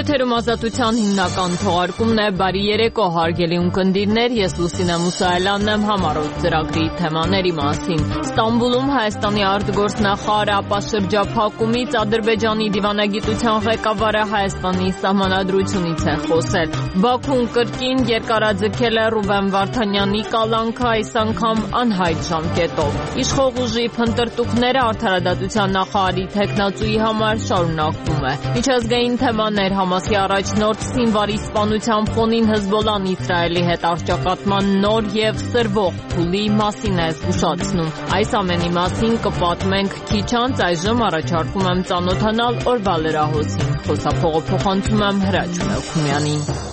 Եթերում ազատության հիմնական թողարկումն է։ Բարի երեկո, հարգելի ունկնդիրներ, ես Լուսինե Մուսայելյանն եմ համառոտ ծրագրի թեմաների մասին։ Ստամբուլում Հայաստանի արտգործնախարար ապաշրջափակումից Ադրբեջանի դիվանագիտության ղեկավարը Հայաստանի սահմանադրությունից է խոսել։ Բաքուն կրկին երկարաձգել է Ռուբեն Վարդանյանի կալանքը, այս անգամ անհայտ ժամկետով։ Իշխող ուժի փնտրտուքները արդարադատության նախարարի թեկնածուի համար շարունակվում է։ Միջազգային թեմաներ Համասի առաջնորդ Սինվարի սպանության ֆոնին Հեզբոլլահն Իսրայելի հետ առճակատման նոր եւ սրվող փուլի մասին է զգուշացնում։ Այս ամենի մասին կպատմենք քիչ անց, այժմ առաջարկում եմ ծանոթանալ օրվա լրահոսին։ Խոսափողը փոխանցում եմ Հրաչ Մելքումյանին։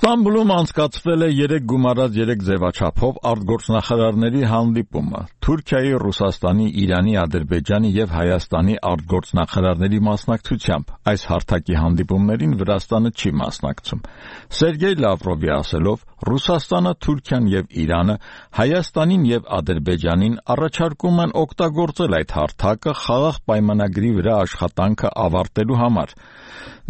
Ստամբուլում անցկացվել է 3 գումարած 3 ձևաչափով արտգործնախարարների հանդիպումը։ Թուրքիայի, Ռուսաստանի, Իրանի, Ադրբեջանի եւ Հայաստանի արտգործնախարարների մասնակցությամբ։ Այս հարթակի հանդիպումներին Վրաստանը չի մասնակցում։ Սերգեյ Լավրովի ասելով, Ռուսաստանը, Թուրքիան եւ Իրանը Հայաստանին եւ Ադրբեջանին առաջարկում են օգտագործել այդ հարթակը խաղաղ պայմանագրի վրա աշխատանքը ավարտելու համար։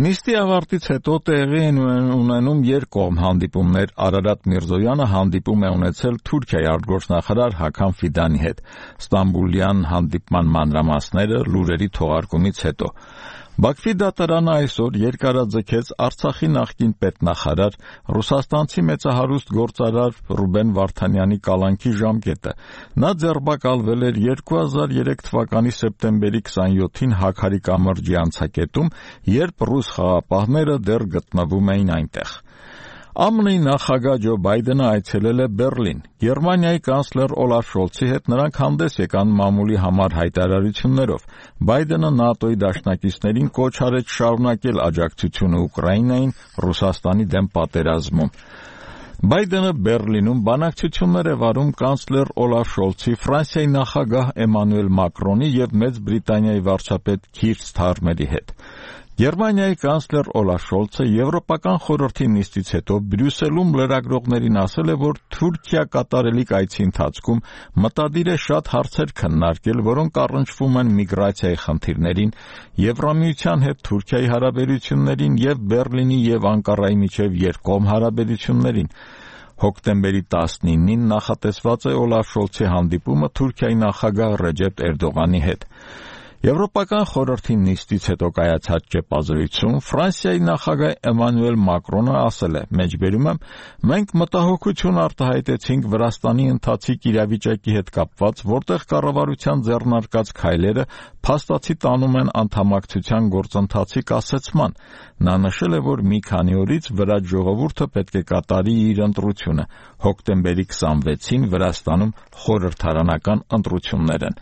Նիստի ավարտից հետո տեղի են ունենում երկկողմ հանդիպումներ։ Արարատ Միրզոյանը հանդիպում է ունեցել Թուրքիայի արտգործնախարար Հական Ֆիդանի հետ։ Ստամբուլյան հանդիպման մանրամասները լուրերի թողարկումից հետո։ Բաքվի դատարանը այսօր երկարաձգեց Արցախի նախկին պետնախարար, ռուսաստանցի մեծահարուստ գործարար Ռուբեն Վարդանյանի կալանքի ժամկետը։ Նա ձերբակալվել էր 2003 թվականի սեպտեմբերի 27-ին Հաքարի կամրջի անցակետում, երբ ռուս խաղապահները դեռ գտնվում էին այնտեղ։ ԱՄՆ-ի նախագահ Ջո Բայդենը այցելել է Բեռլին։ Գերմանիայի կանցլեր Օլաֆ Շոլցի հետ նրանք հանդես եկան մամուլի համար հայտարարություններով։ Բայդենը ՆԱՏՕ-ի դաշնակիցներին կոչ արեց շարունակել աջակցությունը Ուկրաինային Ռուսաստանի դեմ պատերազմում։ Բայդենը Բեռլինում բանակցություններ է վարում կանցլեր Օլաֆ Շոլցի, Ֆրանսիայի նախագահ Էմանուել Մակրոնի եւ Մեծ Բրիտանիայի վարչապետ Քիր Սթարմերի հետ։ Գերմանիայի կանցլեր Օլաֆ Շոլցը Եվրոպական խորհրդի նիստից հետո Բրյուսելում լրագրողներին ասել է, որ Թուրքիա կատարելիք այցի ընթացքում մտադիր է շատ հարցեր քննարկել, որոնք առնչվում են միգրացիայի խնդիրներին, Եվրամիության հետ Թուրքիայի հարաբերություններին եւ Բեռլինի եւ Անկարայի միջև երկկողմ հարաբերություններին։ Հոկտեմբերի 19-ին նախատեսված է Օլաֆ Շոլցի հանդիպումը Թուրքիայի նախագահ Ռեջեփ Էրդողանի հետ։ Եվրոպական խորհրդի նիստից հետո կայացած ճեպազրույցում Ֆրանսիայի նախագահ Էմանուել Մակրոնը ասել է. «Մեջբերում եմ, մենք մտահոգություն արտահայտեցինք Վրաստանի ընթացիկ իրավիճակի հետ կապված, որտեղ կառավարության ձեռնարկած քայլերը փաստացի տանում են անդամակցության գործընթացի կասեցման»։ Նա նշել է, որ մի քանի օրից Վրաց ժողովուրդը պետք է կատարի իր ընտրությունը։ Հոկտեմբերի 26-ին Վրաստանում խորհրդարանական ընտրություններ են։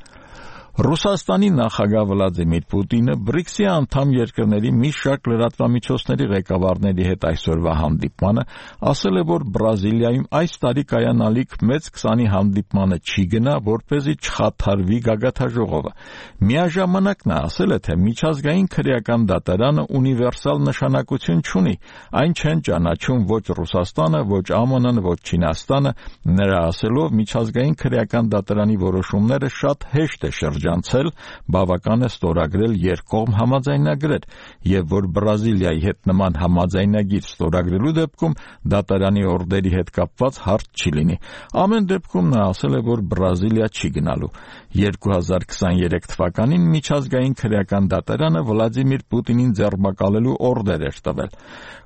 Ռուսաստանի նախագահ Վլադիմիր Պուտինը BRICS-ի անդամ երկրների մի շարք լրատվամիջոցների ղեկավարների հետ այսօրվա հանդիպմանը ասել է, որ Բրազիլիայում այս տարի կայանալիք մեծ 20-ի հանդիպմանը չի գնա, որպեսզի չխաթարվի գագաթաժողովը։ Միաժամանակ նա ասել է, թե միջազգային քրեական դատարանը ունիվերսալ նշանակություն չունի, այն չեն ճանաչում ոչ Ռուսաստանը, ոչ ԱՄՆ-ն, ոչ Չինաստանը։ Նրա ասելով, միջազգային քրեական դատարանի որոշումները շատ հեշտ է շրջանցել, բավական է ստորագրել երկկողմ համաձայնագրեր, եւ որ Բրազիլիայի հետ նման համաձայնագիր ստորագրելու դեպքում դատարանի օրդերի հետ կապված հարց չի լինի։ Ամեն դեպքում նա ասել է, որ Բրազիլիա չի գնալու։ 2023 թվականին միջազգային քրեական դատարանը Վլադիմիր Պուտինին ձերբակալելու օրդեր էր տվել։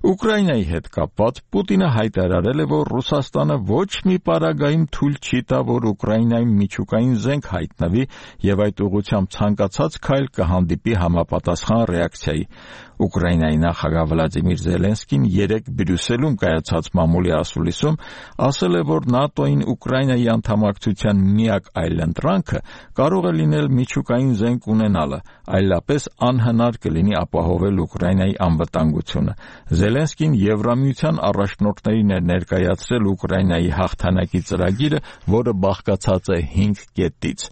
Ուկրաինայի հետ կապված Պուտինը հայտարարել է, որ Ռուսաստանը ոչ մի պարագայում թույլ չի տա, որ Ուկրաինայում միջուկային զենք հայտնվի եւ այդ ուղղությամբ ցանկացած քայլ կհանդիպի համապատասխան ռեակցիայի։ Ուկրաինայի նախագահ Վլադիմիր Զելենսկին 3 Բրյուսելում կայացած մամուլի ասուլիսում ասել է, որ ՆԱՏՕ-ին Ուկրաինայի անդամակցության միակ այլընտրանքը կարող է լինել միջուկային զենք ունենալը, այլապես անհնար կլինի ապահովել Ուկրաինայի անվտանգությունը։ Զելենսկին Եվրամիության առաջնորդներին էր ներկայացրել Ուկրաինայի հաղթանակի ծրագիրը, որը բաղկացած է 5 կետից։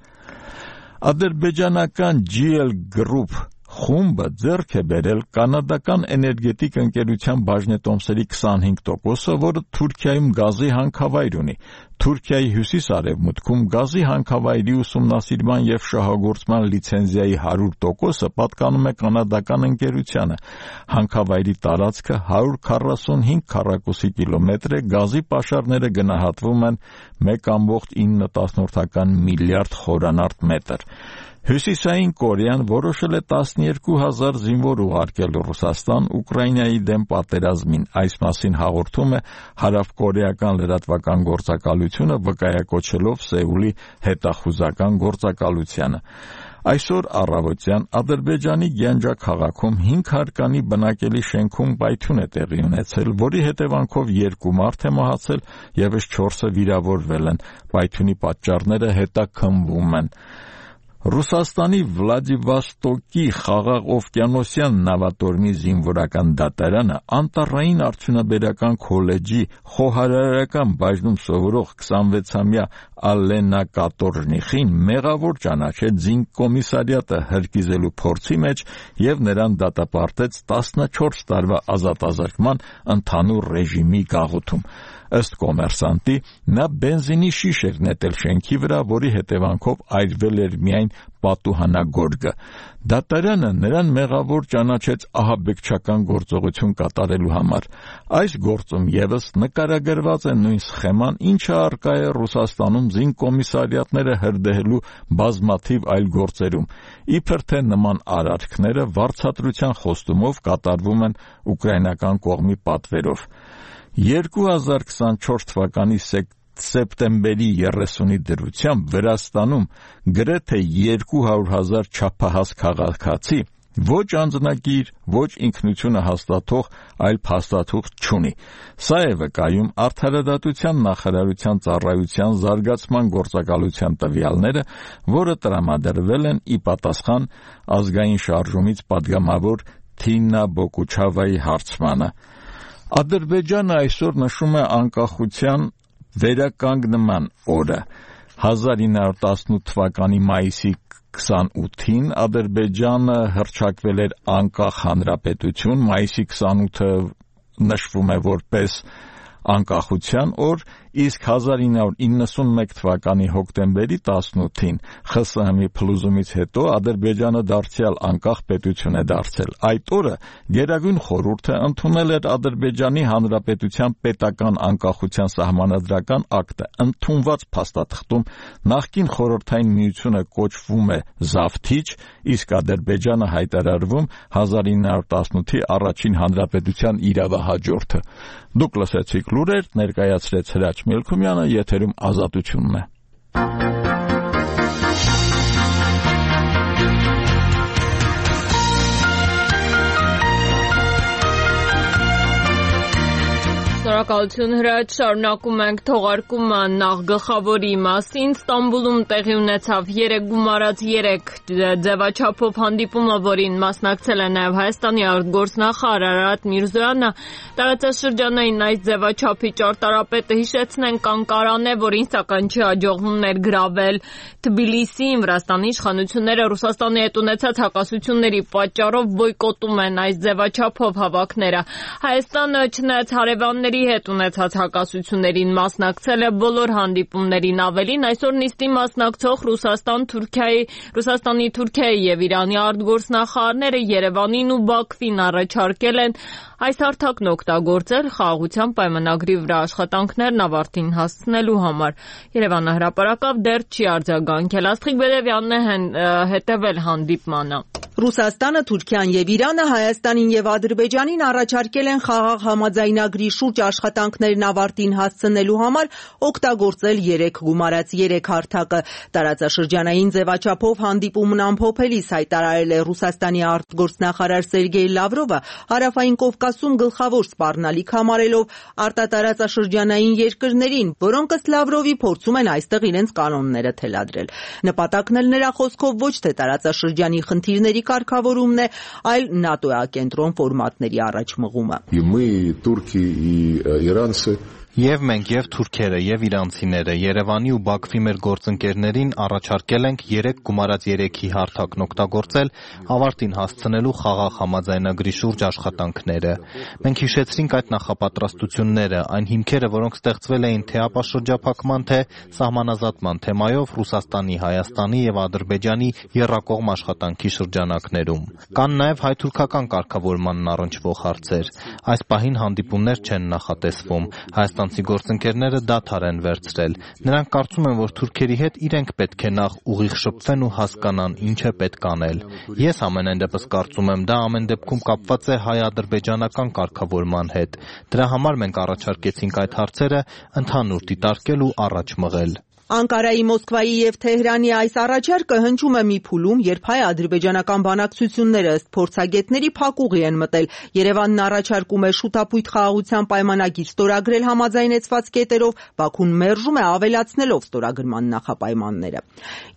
Ադրբեջանական GL Group Խումբը ձեռք է բերել կանադական էներգետիկ ընկերության բաժնետոմսերի 25%-ը, որը Թուրքիայում գազի հանքավայր ունի։ Թուրքիայի հյուսիս-արևմուտքում գազի հանքավայրի ուսումնասիրման և շահագործման լիցենզիայի 100%-ը պատկանում է կանադական ընկերությանը։ Հանքավայրի տարածքը 145 քառակուսի կիլոմետր է, գազի պաշարները գնահատվում են 1.9 միլիարդ խորանարդ մետր։ Հյուսիսային Կորեան որոշել է 12,000 զինվոր ուղարկել Ռուսաստան Ուկրաինայի դեմ պատերազմին։ Այս մասին հաղորդում է հարավկորեական լրատվական գործակալությունը, վկայակոչելով Սեուլի հետախուզական գործակալությանը։ Այսօր առավոտյան Ադրբեջանի Գյանջա քաղաքում 5 հարկանի բնակելի շենքում պայթյուն է տեղի ունեցել, որի հետևանքով 2 մարդ է մահացել, ևս 4-ը վիրավորվել են։ Պայթյունի պատճառները հետաքննվում են։ Ռուսաստանի Վլադիվոստոկի խաղաղօվկիանոսյան նավատորմի զինվորական դատարանը Անտառային արդյունաբերական քոլեջի խոհարարական բաժնում սովորող 26-ամյա Ալենա Կատորժնիխին մեղավոր ճանաչեց զինկոմիսարիատը հրկիզելու փորձի մեջ և նրան դատապարտեց 14 տարվա ազատազրկման ընդհանուր ռեժիմի գաղութում։ Ըստ կոմերսանտի, նա բենզինի շիշ էր նետել շենքի վրա, որի հետևանքով այրվել էր միայն պատուհանագորգը։ Դատարանը նրան մեղավոր ճանաչեց ահաբեկչական գործողություն կատարելու համար։ Այս գործում ևս նկարագրված է նույն սխեման, ինչը առկա է Ռուսաստանում զինկոմիսարիատները հրդեհելու բազմաթիվ այլ գործերում։ Իբր թե նման արարքները վարձատրության խոստումով կատարվում են ուկրաինական կողմի պատվերով։ 2024 թվականի սեպտեմբերի 30-ի դրությամբ Վրաստանում գրեթե 200,000 չափահաս քաղաքացի ոչ անձնագիր, ոչ ինքնությունը հաստատող, այլ փաստաթուղթ չունի։ Սա է վկայում Արդարադատության նախարարության ծառայության զարգացման գործակալության տվյալները, որը տրամադրվել են ի պատասխան ազգային շարժումից падգամավոր Թինա Բոկուչավայի հարցմանը։ Ադրբեջանը այսօր նշում է անկախության վերականգնման օրը։ 1918 թվականի մայիսի 28-ին Ադրբեջանը հռչակվել էր անկախ հանրապետություն, մայիսի 28-ը նշվում է որպես անկախության օր, իսկ 1991 թվականի հոկտեմբերի 18-ին ԽՍՀՄ-ի փլուզումից հետո Ադրբեջանը դարձյալ անկախ պետություն է դարձել։ Այդ օրը Գերագույն խորհուրդը ընդունել էր Ադրբեջանի Հանրապետության պետական անկախության սահմանադրական ակտը։ Ընդունված փաստաթղթում նախկին Խորհրդային Միությունը կոչվում է զավթիչ, իսկ Ադրբեջանը հայտարարվում 1918-ի առաջին հանրապետության իրավահաջորդը։ Դուք լսեցիք լուրեր, ներկայացրեց Հրաչ Մելքումյանը, եթերում Ազատությունն է։ Շնորհակալություն Հրաչ, շարունակում ենք թողարկումը նախ գլխավորի մասին։ Ստամբուլում տեղի ունեցավ 3 գումարած 3 ձևաչափով հանդիպումը, որին մասնակցել է նաև Հայաստանի արտգործնախարար Արարատ Միրզոյանը։ Տարածաշրջանային այս ձևաչափի ճարտարապետը հիշեցնենք Անկարան է, որին սակայն չի հաջողվում ներգրավել Թբիլիսիին։ Վրաստանի իշխանությունները Ռուսաստանի հետ ունեցած հակասությունների պատճառով բոյկոտում են այս ձևաչափով հավաքները։ Հայաստանը չնայած հարևանների հետ ունեցած հակասություններին մասնակցել է բոլոր հանդիպումներին, ավելին այսօր նիստի մասնակցող Ռուսաստանի, Թուրքիայի եւ Իրանի արտգործնախարարները Երևանին ու Բաքվին առաջարկել են այս հարթակն օգտագործել խաղաղության պայմանագրի վրա աշխատանքներն ավարտին հասցնելու համար։ Երևանը հրապարակավ դեռ չի արձագանքել։ Աստղիկ Բեդևյանն է հետևել հանդիպմանը։ Ռուսաստանը, Թուրքիան եւ Իրանը Հայաստանին եւ Ադրբեջանին առաջարկել են խաղաղ համաձայնագրի շուրջ աշխատանքներն ավարտին հասցնելու համար օգտագործել 3+3 հարթակը։ Տարածաշրջանային ձևաչափով հանդիպումն ամփոփելիս հայտարարել է Ռուսաստանի արտգործնախարար Սերգեյ Լավրովը, Հարավային Կովկասում գլխավոր սպառնալիք համարելով արտատարածաշրջանային երկրներին, որոնք ըստ Լավրովի փորձում են այստեղ իրենց կանոնները թելադրել։ Նպատակն էլ նրա խոսքով ոչ թե տարածաշրջանի խնդիրների կարգավորումն է, այլ ՆԱՏՕ-ակենտրոն ֆորմատների առաջ մղումը։ Եվ մենք, եւ թուրքերը, եւ իրանցիները Երևանի ու Բաքվի մեր գործընկերներին առաջարկել ենք 3 գումարած 3-ի հարթակն օգտագործել ավարտին հասցնելու խաղաղ համաձայնագրի շուրջ աշխատանքները։ Մենք հիշեցրինք այդ նախապատրաստությունները, այն հիմքերը, որոնք ստեղծվել էին թե ապաշրջափակման, թե սահմանազատման թեմայով Ռուսաստանի, Հայաստանի եւ Ադրբեջանի եռակողմ աշխատանքի շրջանակներում։ Կան նաեւ հայ-թուրքական կարգավորմանն առնչվող հարցեր։ Այս պահին հանդիպումներ չեն նախատեսվում։ Հայաստանցի գործընկերները դադար են վերցրել։ Նրանք կարծում են, որ թուրքերի հետ իրենք պետք է նախ ուղիղ շփվեն ու հասկանան ինչ է պետք անել։ Ես ամենայն դեպս կարծում եմ, դա ամեն դեպքում կապված է հայ-ադրբեջանական կարգավորման հետ։ Դրա համար մենք առաջարկեցինք այդ հարցերը ընդհանուր դիտարկել ու առաջ մղել։ Անկարայի, Մոսկվայի եւ Թեհրանի այս առաջարկը հնչում է մի փուլում, երբ հայ-ադրբեջանական բանակցությունները ըստ փորձագետների փակուղի են մտել։ Երևանն առաջարկում է շուտապույտ խաղաղության պայմանագիր ստորագրել համաձայնեցված կետերով, Բաքուն մերժում է ավելացնելով ստորագրման նախապայմանները։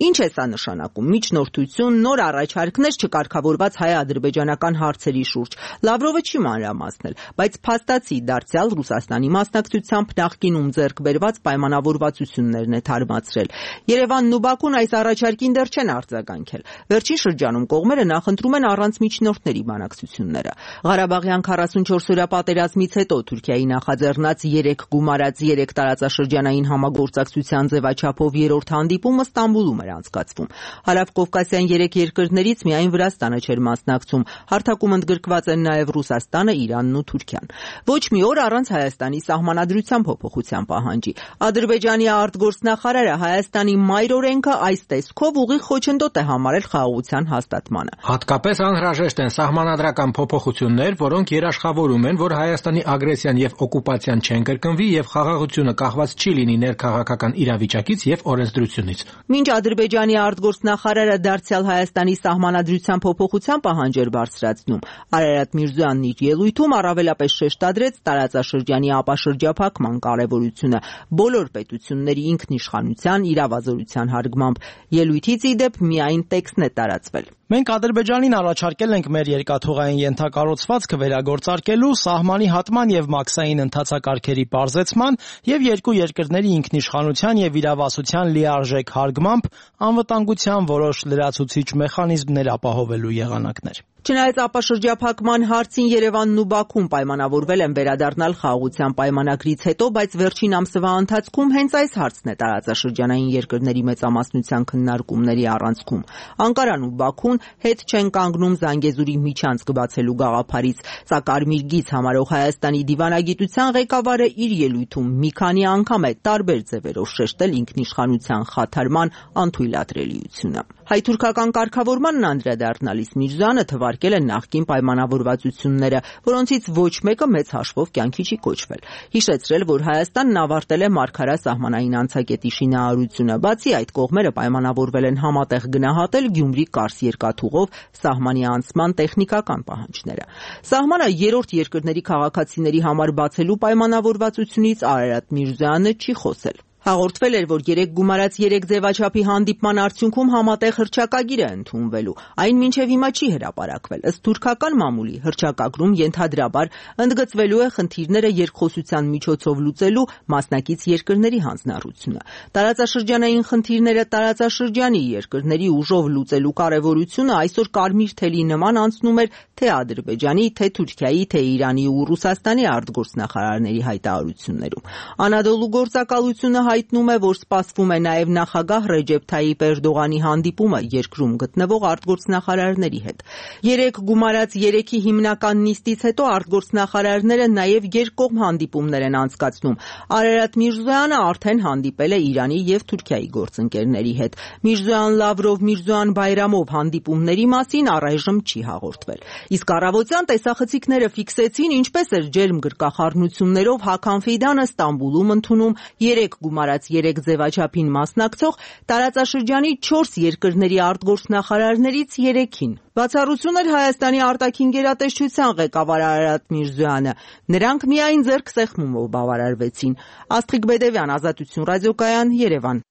Ինչ է սա նշանակում։ Միջնորդություն, նոր առաջարկներ չկարգավորված հայ-ադրբեջանական հարցերի շուրջ։ Լավրովը չի մանրամասնել, բայց փաստացի դարձյալ Ռուսաստանի մասնակցությամբ նախկինում ձեռք բերված պայմանավորվածություններն է մացրել։ Երևանն ու Բաքուն այս առաջարկին դեռ չեն արձագանքել։ Վերջին շրջանում կողմերը նախընտրում են առանց միջնորդների բանակցությունները։ Ղարաբաղյան 44-օրյա պատերազմից հետո Թուրքիայի նախաձեռնած 3 գումարած 3 տարածաշրջանային համագործակցության ձևաչափով երրորդ հանդիպումը Ստամբուլում էր անցկացվում։ Հարավկովկասյան 3 երկրներից միայն Վրաստանը չէր մասնակցում։ Հարթակում ընդգրկված են նաև Ռուսաստանը, Իրանն ու Թուրքիան։ Ոչ մի օր առանց Հայաստանի սահմանադրության փոփոխության պահանջի։ Ադրբեջանի արտգործնախարարը Հայաստանի մայրօրենքը այս տեսքով ուղիղ խոչընդոտ է համարել խաղաղության հաստատմանը։ Հատկապես անհրաժեշտ են սահմանադրական փոփոխություններ, որոնք երաշխավորում են, որ Հայաստանի ագրեսիան եւ օկուպացիան չեն կրկնվի եւ խաղաղությունը կախված չի լինի ներքաղաքական իրավիճակից եւ օրենսդրությունից։ Մինչ Ադրբեջանի արտգործնախարարը դարձյալ Հայաստանի սահմանադրության փոփոխության պահանջ էր բարձրացնում, Արարատ Միրզոյանն իր ելույթում առավելապես շեշտադրեց տարածաշրջանի ապաշրջափակման կարևորությունը բոլոր պետությունների ինքնիշխանության իրավազորության հարգմամբ։ Ելույթից ի դեպ միայն տեքստն է տարածվել։ Մենք Ադրբեջանին առաջարկել ենք մեր երկաթուղային ենթակառուցվածքը վերագործարկելու, սահմանի հատման եւ մաքսային ընթացակարգերի պարզեցման եւ երկու երկրների ինքնիշխանության եւ իրավասության լիարժեք հարգմամբ անվտանգության որոշ լրացուցիչ մեխանիզմներ ապահովելու եղանակներ։ Չնայած ապաշրջափակման հարցին Երևանն ու Բաքուն պայմանավորվել են վերադառնալ խաղաղության պայմանագրից հետո, բայց վերջին ամսվա ընթացքում հենց այս հարցն է տարածաշրջանային երկրների մեծամասնության քննարկումների առանցքում։ Անկարան ու Բաքուն հետ չեն կանգնում Զանգեզուրի միջանցք բացելու գաղափարից, սա կարմիր գիծ համարող Հայաստանի դիվանագիտության ղեկավարը իր ելույթում մի քանի անգամ է տարբեր ձևերով շեշտել ինքնիշխանության խաթարման անթույլատրելիությունը։ Հայ-թուրքական կարգավորմանն անդրադառնալիս Միրզոյանը թվարկել է նախկին պայմանավորվածությունները, որոնցից ոչ մեկը մեծ հաշվով կյանքի չի կոչվել։ Հիշեցրել, որ Հայաստանն ավարտել է Մարգարա սահմանային անցակետի շինարարությունը, բացի այդ կողմերը պայմանավորվել են համատեղ գնահատել Գյումրի-Կարս երկաթուղով սահմանի անցման տեխնիկական պահանջները։ Սահմանը երրորդ երկրների քաղաքացիների համար բացելու պայմանավորվածությունից Արարատ Միրզոյանը չի խոսել։ Հաղորդվել էր, որ 3 գումարած 3 ձևաչափի հանդիպման արդյունքում համատեղ հռչակագիր է ընդունվելու։ Այն մինչև հիմա չի հրապարակվել։ Ըստ թուրքական մամուլի հռչակագրում ենթադրաբար ընդգծվելու է խնդիրները երկխոսության միջոցով լուծելու մասնակից երկրների հանձնառությունը։ Տարածաշրջանային խնդիրները տարածաշրջանի երկրների ուժով լուծելու կարևորությունը այսօր կարմիր թելի նման անցնում էր թե Ադրբեջանի, թե Թուրքիայի, թե Իրանի ու Ռուսաստանի արտգործնախարարների հայտարարություններում։ Անադոլու գործակալությունը հայտնում է, որ սպասվում է նաև նախագահ Ռեջեփ Թայիպ Էրդողանի հանդիպումը երկրում գտնվող արտգործնախարարների հետ։ 3 գումարած 3-ի հիմնական նիստից հետո արտգործնախարարները նաև երկկողմ հանդիպումներ են անցկացնում։ Արարատ Միրզոյանը արդեն հանդիպել է Իրանի եւ Թուրքիայի գործընկերների հետ։ Միրզոյան-Լավրով, Միրզոյան-Բայրամով հանդիպումների մասին առայժմ չի հաղորդվել։ Իսկ առավոտյան տեսախցիկները ֆիքսեցին, ինչպես էր ջերմ գրկախառնություններով Հական Ֆիդանը Ստամբուլում ընդունում 3 գումարած 3 ձևաչափին մասնակցող տարածաշրջանի 4 երկրների արտգործնախարարներից 3-ին։ Բացառություն էր Հայաստանի արտաքին գերատեսչության ղեկավար Արարատ Միրզոյանը։ Նրանք միայն ձեռք սեղմումով բավարարվեցին։ Աստղիկ Բեդևյան, Ազատություն ռադիոկայան, Երևան։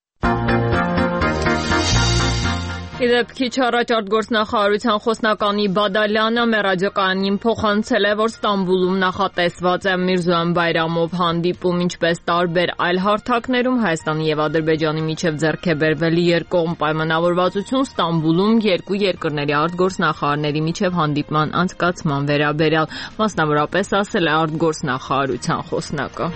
Իդեպ քիչ առաջ արտգործնախարարության խոսնականի Բադալյանը մեր ռադիոկայանին փոխանցել է, որ Ստամբուլում նախատեսված է Միրզոյան Բայրամով հանդիպում, ինչպես տարբեր այլ հարթակներում Հայաստանի եւ Ադրբեջանի միջև ձեռք է բերվել երկկողմ պայմանավորվածություն Ստամբուլում երկու երկրների արտգործնախարարների միջև հանդիպման անցկացման վերաբերյալ, մասնավորապես ասել է արտգործնախարարության խոսնակը։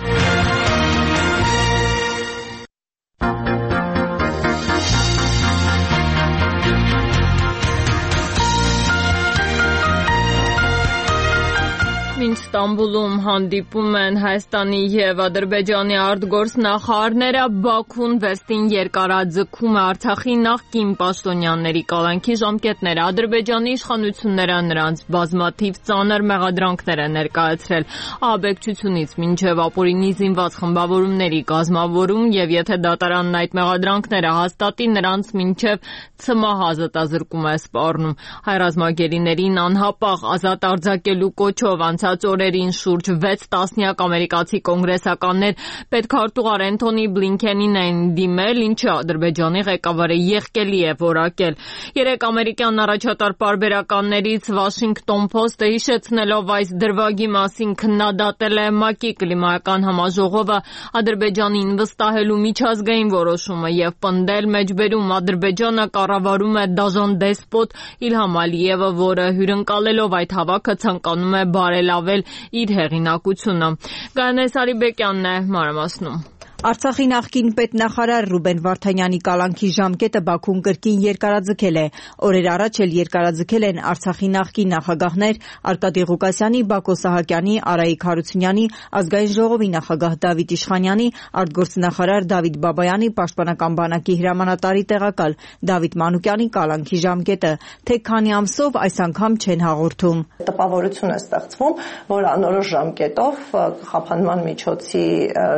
Մինչ Ստամբուլում հանդիպում են Հայաստանի եւ Ադրբեջանի արտգործնախարարները, Բաքուն վերստին երկարաձգում է Արցախի նախկին պաշտոնյաների կալանքի ժամկետները։ Ադրբեջանի իշխանությունները նրանց բազմաթիվ ծանր մեղադրանքներ են ներկայացրել ահաբեկչությունից մինչև ապօրինի զինված խմբավորումների կազմավորում եւ եթե դատարանն այդ մեղադրանքները հաստատի, նրանց մինչև ցմահ ազատազրկում է սպառնում։ Հայ ռազմագերիներին անհապաղ ազատ արձակելու կոչով անցած օրերին շուրջ 6 տասնյակ ամերիկացի կոնգրեսականներ պետքարտուղար Էնթոնի Բլինքենին են դիմել, ինչը Ադրբեջանի ղեկավարը եղկելի է որակել։ 3 ամերիկյան առաջատար պարբերականներից Washington Post-ը հիշեցնելով այս դրվագի մասին քննադատել է ՄԱԿ-ի կլիմայական համաժողովը Ադրբեջանին վստահելու միջազգային որոշումը եւ պնդել մեջբերում Ադրբեջանը կառավարում է դաժան դեսպոտ Իլհամ Ալիևը, որը հյուրընկալելով այդ հավաքը ցանկանում է բարելավել իր հեղինակությունը։ Գայանե Սարիբեկյանն է մանրամասնում։ Արցախի նախկին պետնախարար Ռուբեն Վարդանյանի կալանքի ժամկետը Բաքուն կրկին երկարաձգել է։ Օրեր առաջ էլ երկարաձգել են Արցախի նախկին նախագահներ Արկադի Ղուկասյանի, Բակո Սահակյանի, Արայիկ Հարությունյանի, Ազգային ժողովի նախագահ Դավիթ Իշխանյանի, արտգործնախարար Դավիթ Բաբայանի, Պաշտպանական բանակի հրամանատարի տեղակալ Դավիթ Մանուկյանի կալանքի ժամկետը, թե քանի ամսով այս անգամ չեն հաղորդում։ Տպավորություն է ստեղծվում, որ անորոշ ժամկետով խափանման միջոցի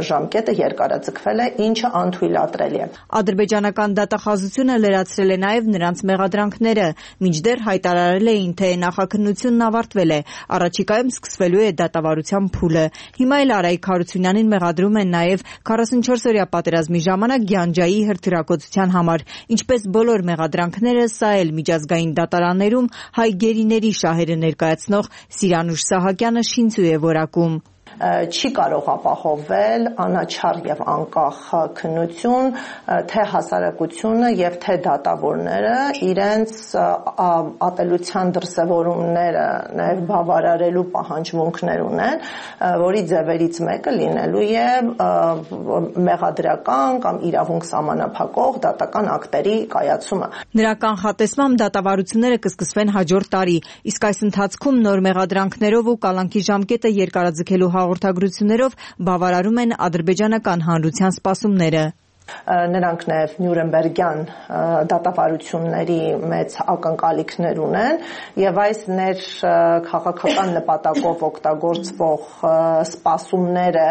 ժամկետը երկարաձգվել է, ինչը անթույլատրելի է։ Ադրբեջանական դատախազությունը լրացրել է նաև նրանց մեղադրանքները, մինչդեռ հայտարարել էին, թե նախաքննությունն ավարտվել է, առաջիկայում սկսվելու է դատավարության փուլը։ Հիմա էլ Արայիկ Հարությունյանին մեղադրում են նաև 44-օրյա պատերազմի ժամանակ Գյանջայի հրթիռակոծության համար։ Ինչպես բոլոր մեղադրանքները, սա էլ միջազգային դատարաններում հայ գերիների շահերը ներկայացնող Սիրանուշ Սահակյանը շինծու է որակում։ Չի կարող ապահովել անաչառ եւ անկախ քննություն, թե հասարակությունը եւ թե դատավորները իրենց ատելության դրսևորումները նաեւ բավարարելու պահանջմունքներ ունեն, որի ձևերից մեկը լինելու է մեղադրական կամ իրավունք սահմանափակող դատական ակտերի կայացումը։ Նրա կանխատեսմամբ դատավարությունները կսկսվեն հաջորդ տարի, իսկ այս ընթացքում նոր մեղադրանքներով ու կալանքի ժամկետը երկարաձգելու հաղորդագրություններով բավարարում են ադրբեջանական հանրության սպասումները։ Նրանք նաև Նյուրնբերգյան դատավարությունների մեծ ակնկալիքներ ունեն եւ այս քաղաքական նպատակով օգտագործվող սպասումները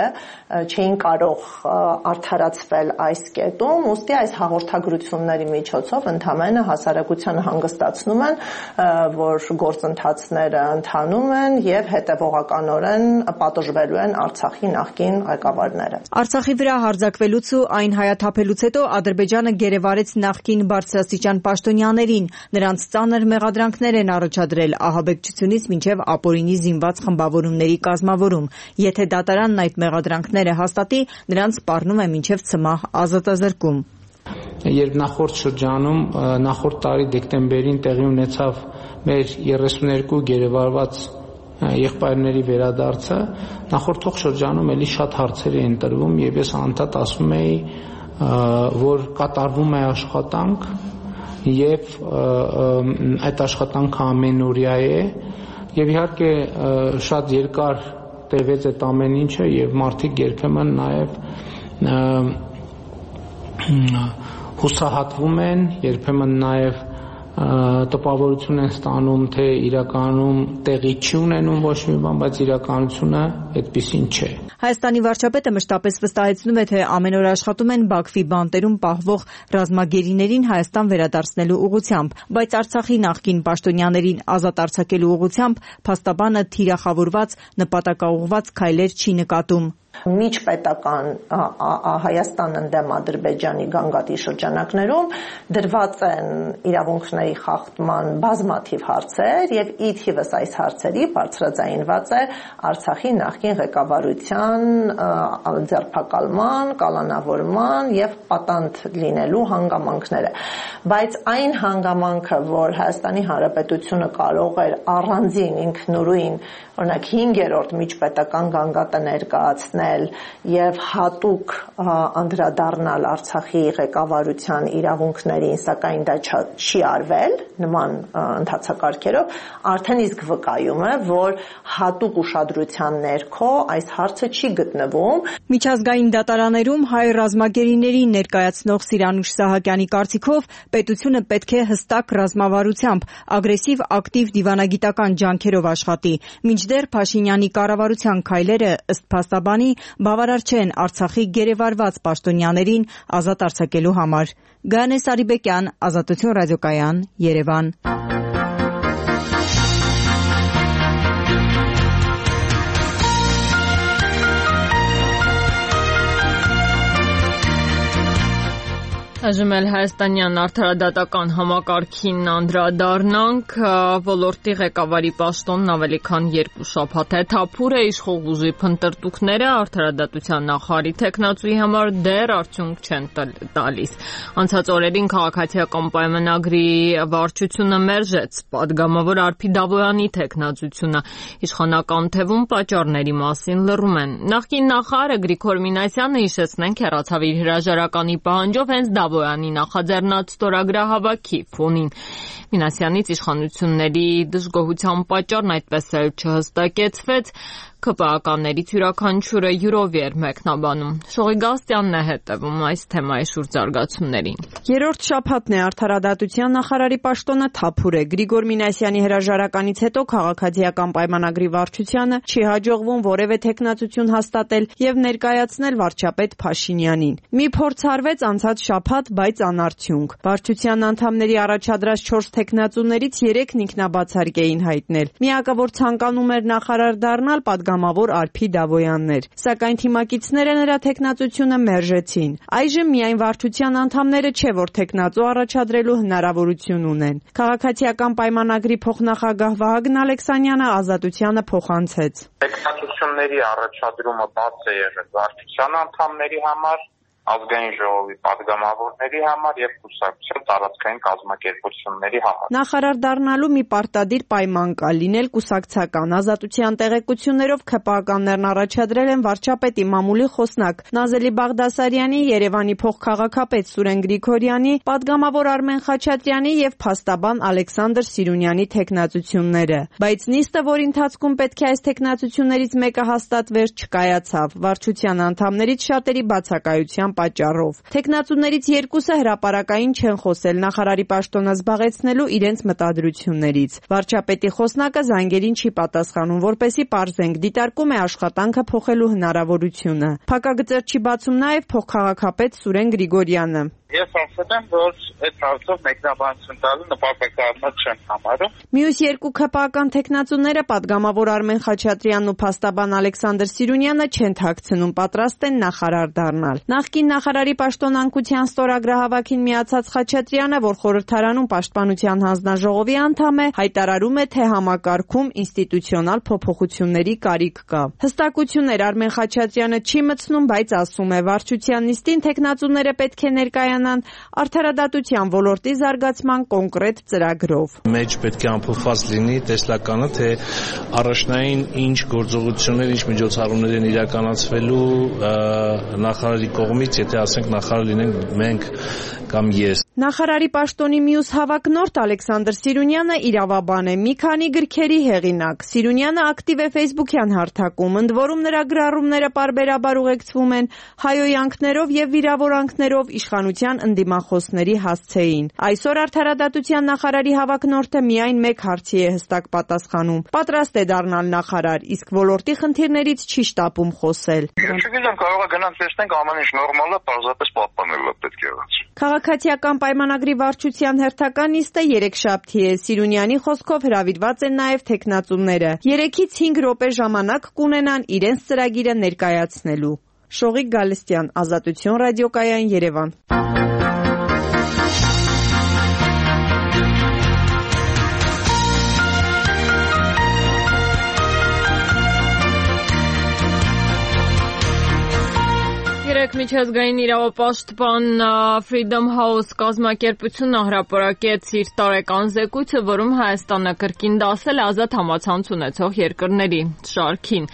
չէին կարող արդարացվել այս կետում, ուստի այս հաղորդագրությունների միջոցով ընդհանրապես հասարակությանը հանգստացնում են, որ գործընթացները ընթանում են եւ հետեւողականորեն պատժվելու են Արցախի նախկին ղեկավարները։ Արցախի վրա հարձակվելուց ու այն հայաթափելուց հետո Ադրբեջանը գերեվարեց նախկին բարձրաստիճան պաշտոնյաներին, նրանց ծանր մեղադրանքներ են առաջադրել ահաբեկչությունից մինչև ապօրինի զինված խմբավորումների կազմավորում։ Եթե դատարանն այդ մեղադրանքները հաստատի, նրանց սպառնում է մինչև ցմահ ազատազրկում։ Երբ նախորդ շրջանում նախորդ տարի դեկտեմբերին տեղի ունեցավ մեր 32 գերեվարված եղբայրների վերադարձը, նախորդող շրջանում էլի շատ հարցեր էին տրվում եւ ես անդադ ասում էի, որ կատարվում է աշխատանք եւ այդ աշխատանքը ամենօրյա է եւ իհարկե շատ երկար տևեց այդ ամեն ինչը եւ մարդիկ երբեմն նաեւ հուսահատվում են, երբեմն նաեւ տպավորություն են ստանում, թե իրականում տեղի չի ունենում ոչ մի բան, բայց իրականությունը այդպիսին չէ։ Հայաստանի վարչապետը մշտապես վստահեցնում է, թե ամեն օր աշխատում են Բաքվի բանտերում պահվող ռազմագերիներին Հայաստան վերադարձնելու ուղղությամբ, բայց Արցախի նախկին պաշտոնյաներին ազատ արձակելու ուղղությամբ փաստաբանը թիրախավորված նպատակաուղղված քայլեր չի նկատում։ Միջպետական Հայաստան ընդդեմ Ադրբեջանի գանգատի շրջանակներում դրված են իրավունքների խախտման բազմաթիվ հարցեր եւ ի թիվս այս հարցերի բարձրաձայնված է Արցախի նախկին ղեկավարության ձերբակալման, կալանավորման եւ պատանդ լինելու հանգամանքները, բայց այն հանգամանքը, որ Հայաստանի Հանրապետությունը կարող էր առանձին ինքնուրույն, օրինակ 5-րդ միջպետական գանգատը ներկայացնել եւ հատուկ անդրադառնալ Արցախի ղեկավարության իրավունքներին, սակայն դա չի արվել նման ընթացակարգերով, արդեն իսկ վկայում է, որ հատուկ ուշադրության ներքո այս հարցը չի գտնվում։ Միջազգային դատարաններում հայ ռազմագերիներին ներկայացնող Սիրանուշ Սահակյանի կարծիքով պետությունը պետք է հստակ ռազմավարությամբ, ագրեսիվ ակտիվ դիվանագիտական ջանքերով աշխատի, մինչդեռ Փաշինյանի կառավարության քայլերը ըստ փաստաբանի բավարար չեն Արցախի գերեվարված պաշտոնյաներին ազատ արձակելու համար։ Գանե Սարիբեկյան, Ազատություն ռադիոկայան, Երևան։ Այժմ էլ հայաստանյան արդարադատական համակարգին անդրադառնանք, ոլորտի ղեկավարի պաշտոնն ավելի քան 2 շաբաթ է թափուր է, իշխող ուժի փնտրտուքները արդարադատության նախարարի թեկնածուի համար դեռ արդյունք չեն տալիս։ Անցած օրերին քաղաքացիական պայմանագրի վարչությունը մերժեց պատգամավոր Արփի Դավոյանի թեկնածությունը, իշխանական թևում պատճառների մասին լռում են։ Նախկին նախարարը Գրիգոր Մինասյանը, հիշեցնենք, հեռացավ իր հրաժարականի պահանջով հենց Դավոյանի նախաձեռնած ստորագրահավաքի ֆոնին։ Մինասյանից իշխանությունների դժգոհության պատճառն այդպես էլ չհստակեցվեց, ԿՊԱ-ականներից յուրաքանչյուրը յուրով էր մեկնաբանում։ Շողի Գաստյանն է հետևում այս թեմայի շուրջ զարգացումներին։ Երրորդ շաբաթն է արդարադատության նախարարի պաշտոնը թափուր է։ Գրիգոր Մինասյանի հրաժարականից հետո քաղաքացիական պայմանագրի վարչությանը չի հաջողվում որևէ թեկնածություն հաստատել եւ ներկայացնել վարչապետ Փաշինյանին։ Մի փորձ արվեց անցած շաբաթ, բայց անարդյունք։ Վարչության անդամների առաջադրած 4 թեկնածուներից 3-ն ինքնաբացարկ էին հայտնել։ Միակը, որ ցանկանում էր նախարար դառնալ, պատգամավոր Արփի Դավոյանն էր, սակայն թիմակիցները նրա թեկնածությունը մերժեցին։ Այժմ միայն վարչության անդամները չէ, որ թեկնածու առաջադրելու հնարավորություն ունեն։ Քաղաքացիական պայմանագրի փոխնախագահ Վահագն Ալեքսանյանը Ազատությանը փոխանցեց։ Թեկնածությունների առաջադրումը բաց է եղել վարչության անդամների համար, ազգային ժողովի պատգամավորների համար եւ կուսակցության տարածքային կազմակերպությունների համար։ Նախարար դառնալու մի պարտադիր պայման կա՝ լինել կուսակցական։ Ազատության տեղեկություններով ԿՊԱ-ականներն առաջադրել են վարչապետի մամուլի խոսնակ Նազելի Բաղդասարյանի, Երևանի փոխքաղաքապետ Սուրեն Գրիգորյանի, պատգամավոր Արմեն Խաչատրյանի եւ փաստաբան Ալեքսանդր Սիրունյանի թեկնածությունները։ Բայց նիստը, որի ընթացքում պետք է այս թեկնածություններից մեկը հաստատվեր, չկայացավ։ Վարչության անդամներից շատերի բացակայության պատճառով։ Թեկնածուներից 2-ը հրապարակային չեն խոսել նախարարի պաշտոնը զբաղեցնելու իրենց մտադրություններից։ Վարչապետի խոսնակը զանգերին չի պատասխանում, որպեսզի պարզենք, դիտարկում է աշխատանքը փոխելու հնարավորությունը։ Փակագծեր չի բացում նաև փոխքաղաքապետ Սուրեն Գրիգորյանը։ Ես ասել եմ, որ այդ հարցով մեկնաբանություն տալու նպատակառնոտ չեմ համարում։ Մյուս 2 ԿՊԱ-ական թեկնածուները պատգամավոր Արմեն Խաչատրյանն ու փաստաբան Ալեքսանդր Սիրունյանը չեն թաքցնում, պատրաստ են նախարար դառնալ։ Նախկին նախարարի պաշտոնանկության ստորագրահավաքին միացած Խաչատրյանը, որ խորհրդարանում պաշտպանության հանձնաժողովի անդամ է, հայտարարում է, թե համակարգում ինստիտուցիոնալ փոփոխությունների կարիք կա։ Հստակություններ Արմեն Խաչատրյանը չի մտցնում, բայց ասում է, վարչության նիստին թեկնածուները պետք է ներկայանան արդարադատության ոլորտի զարգացման կոնկրետ ծրագրով։ Մեջ պետք է ամփոփված լինի տեսլականը, թե առաջնային ինչ գործողություններ, ինչ միջոցառումներ են իրականացվելու նախարարի կողմից, եթե ասենք նախարար լինենք մենք կամ ես։ Նախարարի պաշտոնի մյուս հավակնորդ Ալեքսանդր Սիրունյանը իրավաբան է, մի քանի գրքերի հեղինակ։ Սիրունյանը ակտիվ է Facebook-յան հարթակում, ընդ որում նրա գրառումները պարբերաբար ուղեկցվում են հայոյանքներով եւ վիրավորանքներով իշխանության ընդդիմախոսների հասցեին։ Այսօր արդարադատության նախարարի հավակնորդը միայն մեկ հարցի է հստակ պատասխանում. պատրաստ է դառնալ նախարար, իսկ ոլորտի խնդիրներից չի շտապում խոսել։ Չգիտեմ, կարող է գնանք տեսնենք ամեն ինչ նորմալ է, պարզապես պահպանել է պետք եղած։ Քաղաքացիական պայմանագրի վարչության հերթական նիստը երեքշաբթի է։ Սիրունյանի խոսքով հրավիրված են նաև թեկնածուները։ 3-ից 5 րոպե ժամանակ կունենան իրենց ծրագիրը ներկայացնելու։ Շողիկ Գալստյան, Ազատություն ռադիոկայան, Երևան։ Միջազգային իրավապաշտպան Freedom House կազմակերպությունը հրապարակեց իր տարեկան զեկույցը, որում Հայաստանը կրկին դասել ազատ համացանց ունեցող երկրների շարքին։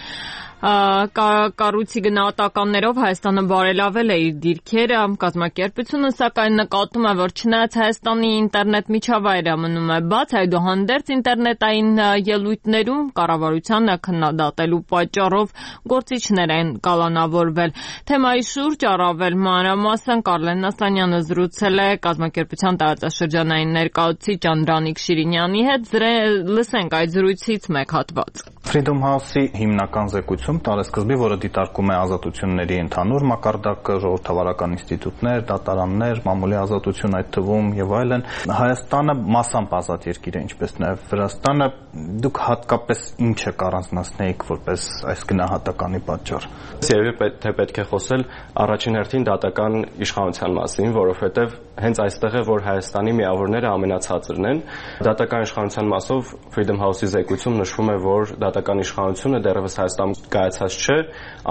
Կառույցի գնահատականներով Հայաստանը բարելավել է իր դիրքերը, կազմակերպությունը սակայն նկատում է, որ չնայած Հայաստանի ինտերնետ միջավայրը մնում է բաց, այդուհանդերձ ինտերնետային ելույթներում կառավարությանը քննադատելու պատճառով գործիչներ են կալանավորվել։ Թեմայի շուրջ առավել մանրամասն Կարլեն Նասանյանը զրուցել է կազմակերպության տարածաշրջանային ներկայացուցիչ Անդրանիկ Շիրինյանի հետ։ Լսենք այդ զրույցից մեկ հատված։ Freedom House-ի հիմնական զեկույցում տարեսկզբի, որը դիտարկում է ազատությունների ընդհանուր մակարդակը, ժողովրդավարական ինստիտուտներ, դատարաններ, մամուլի ազատություն այդ թվում եւ այլն, Հայաստանը մասամբ ազատ երկիր է, ինչպես նաեւ Վրաստանը, դուք հատկապես ինչը կառանձնացնեիք որպես այս գնահատականի պատճառ։ Երևի թե պետք է խոսել առաջին հերթին դատական իշխանության մասին, որովհետեւ հենց այստեղ է, որ Հայաստանի միավորները ամենացածրն են։ Դատական իշխանության մասով Freedom House-ի զեկույցում նշվում է, որ դատական իշխանությունը դեռևս Հայաստանում կայացած չէ,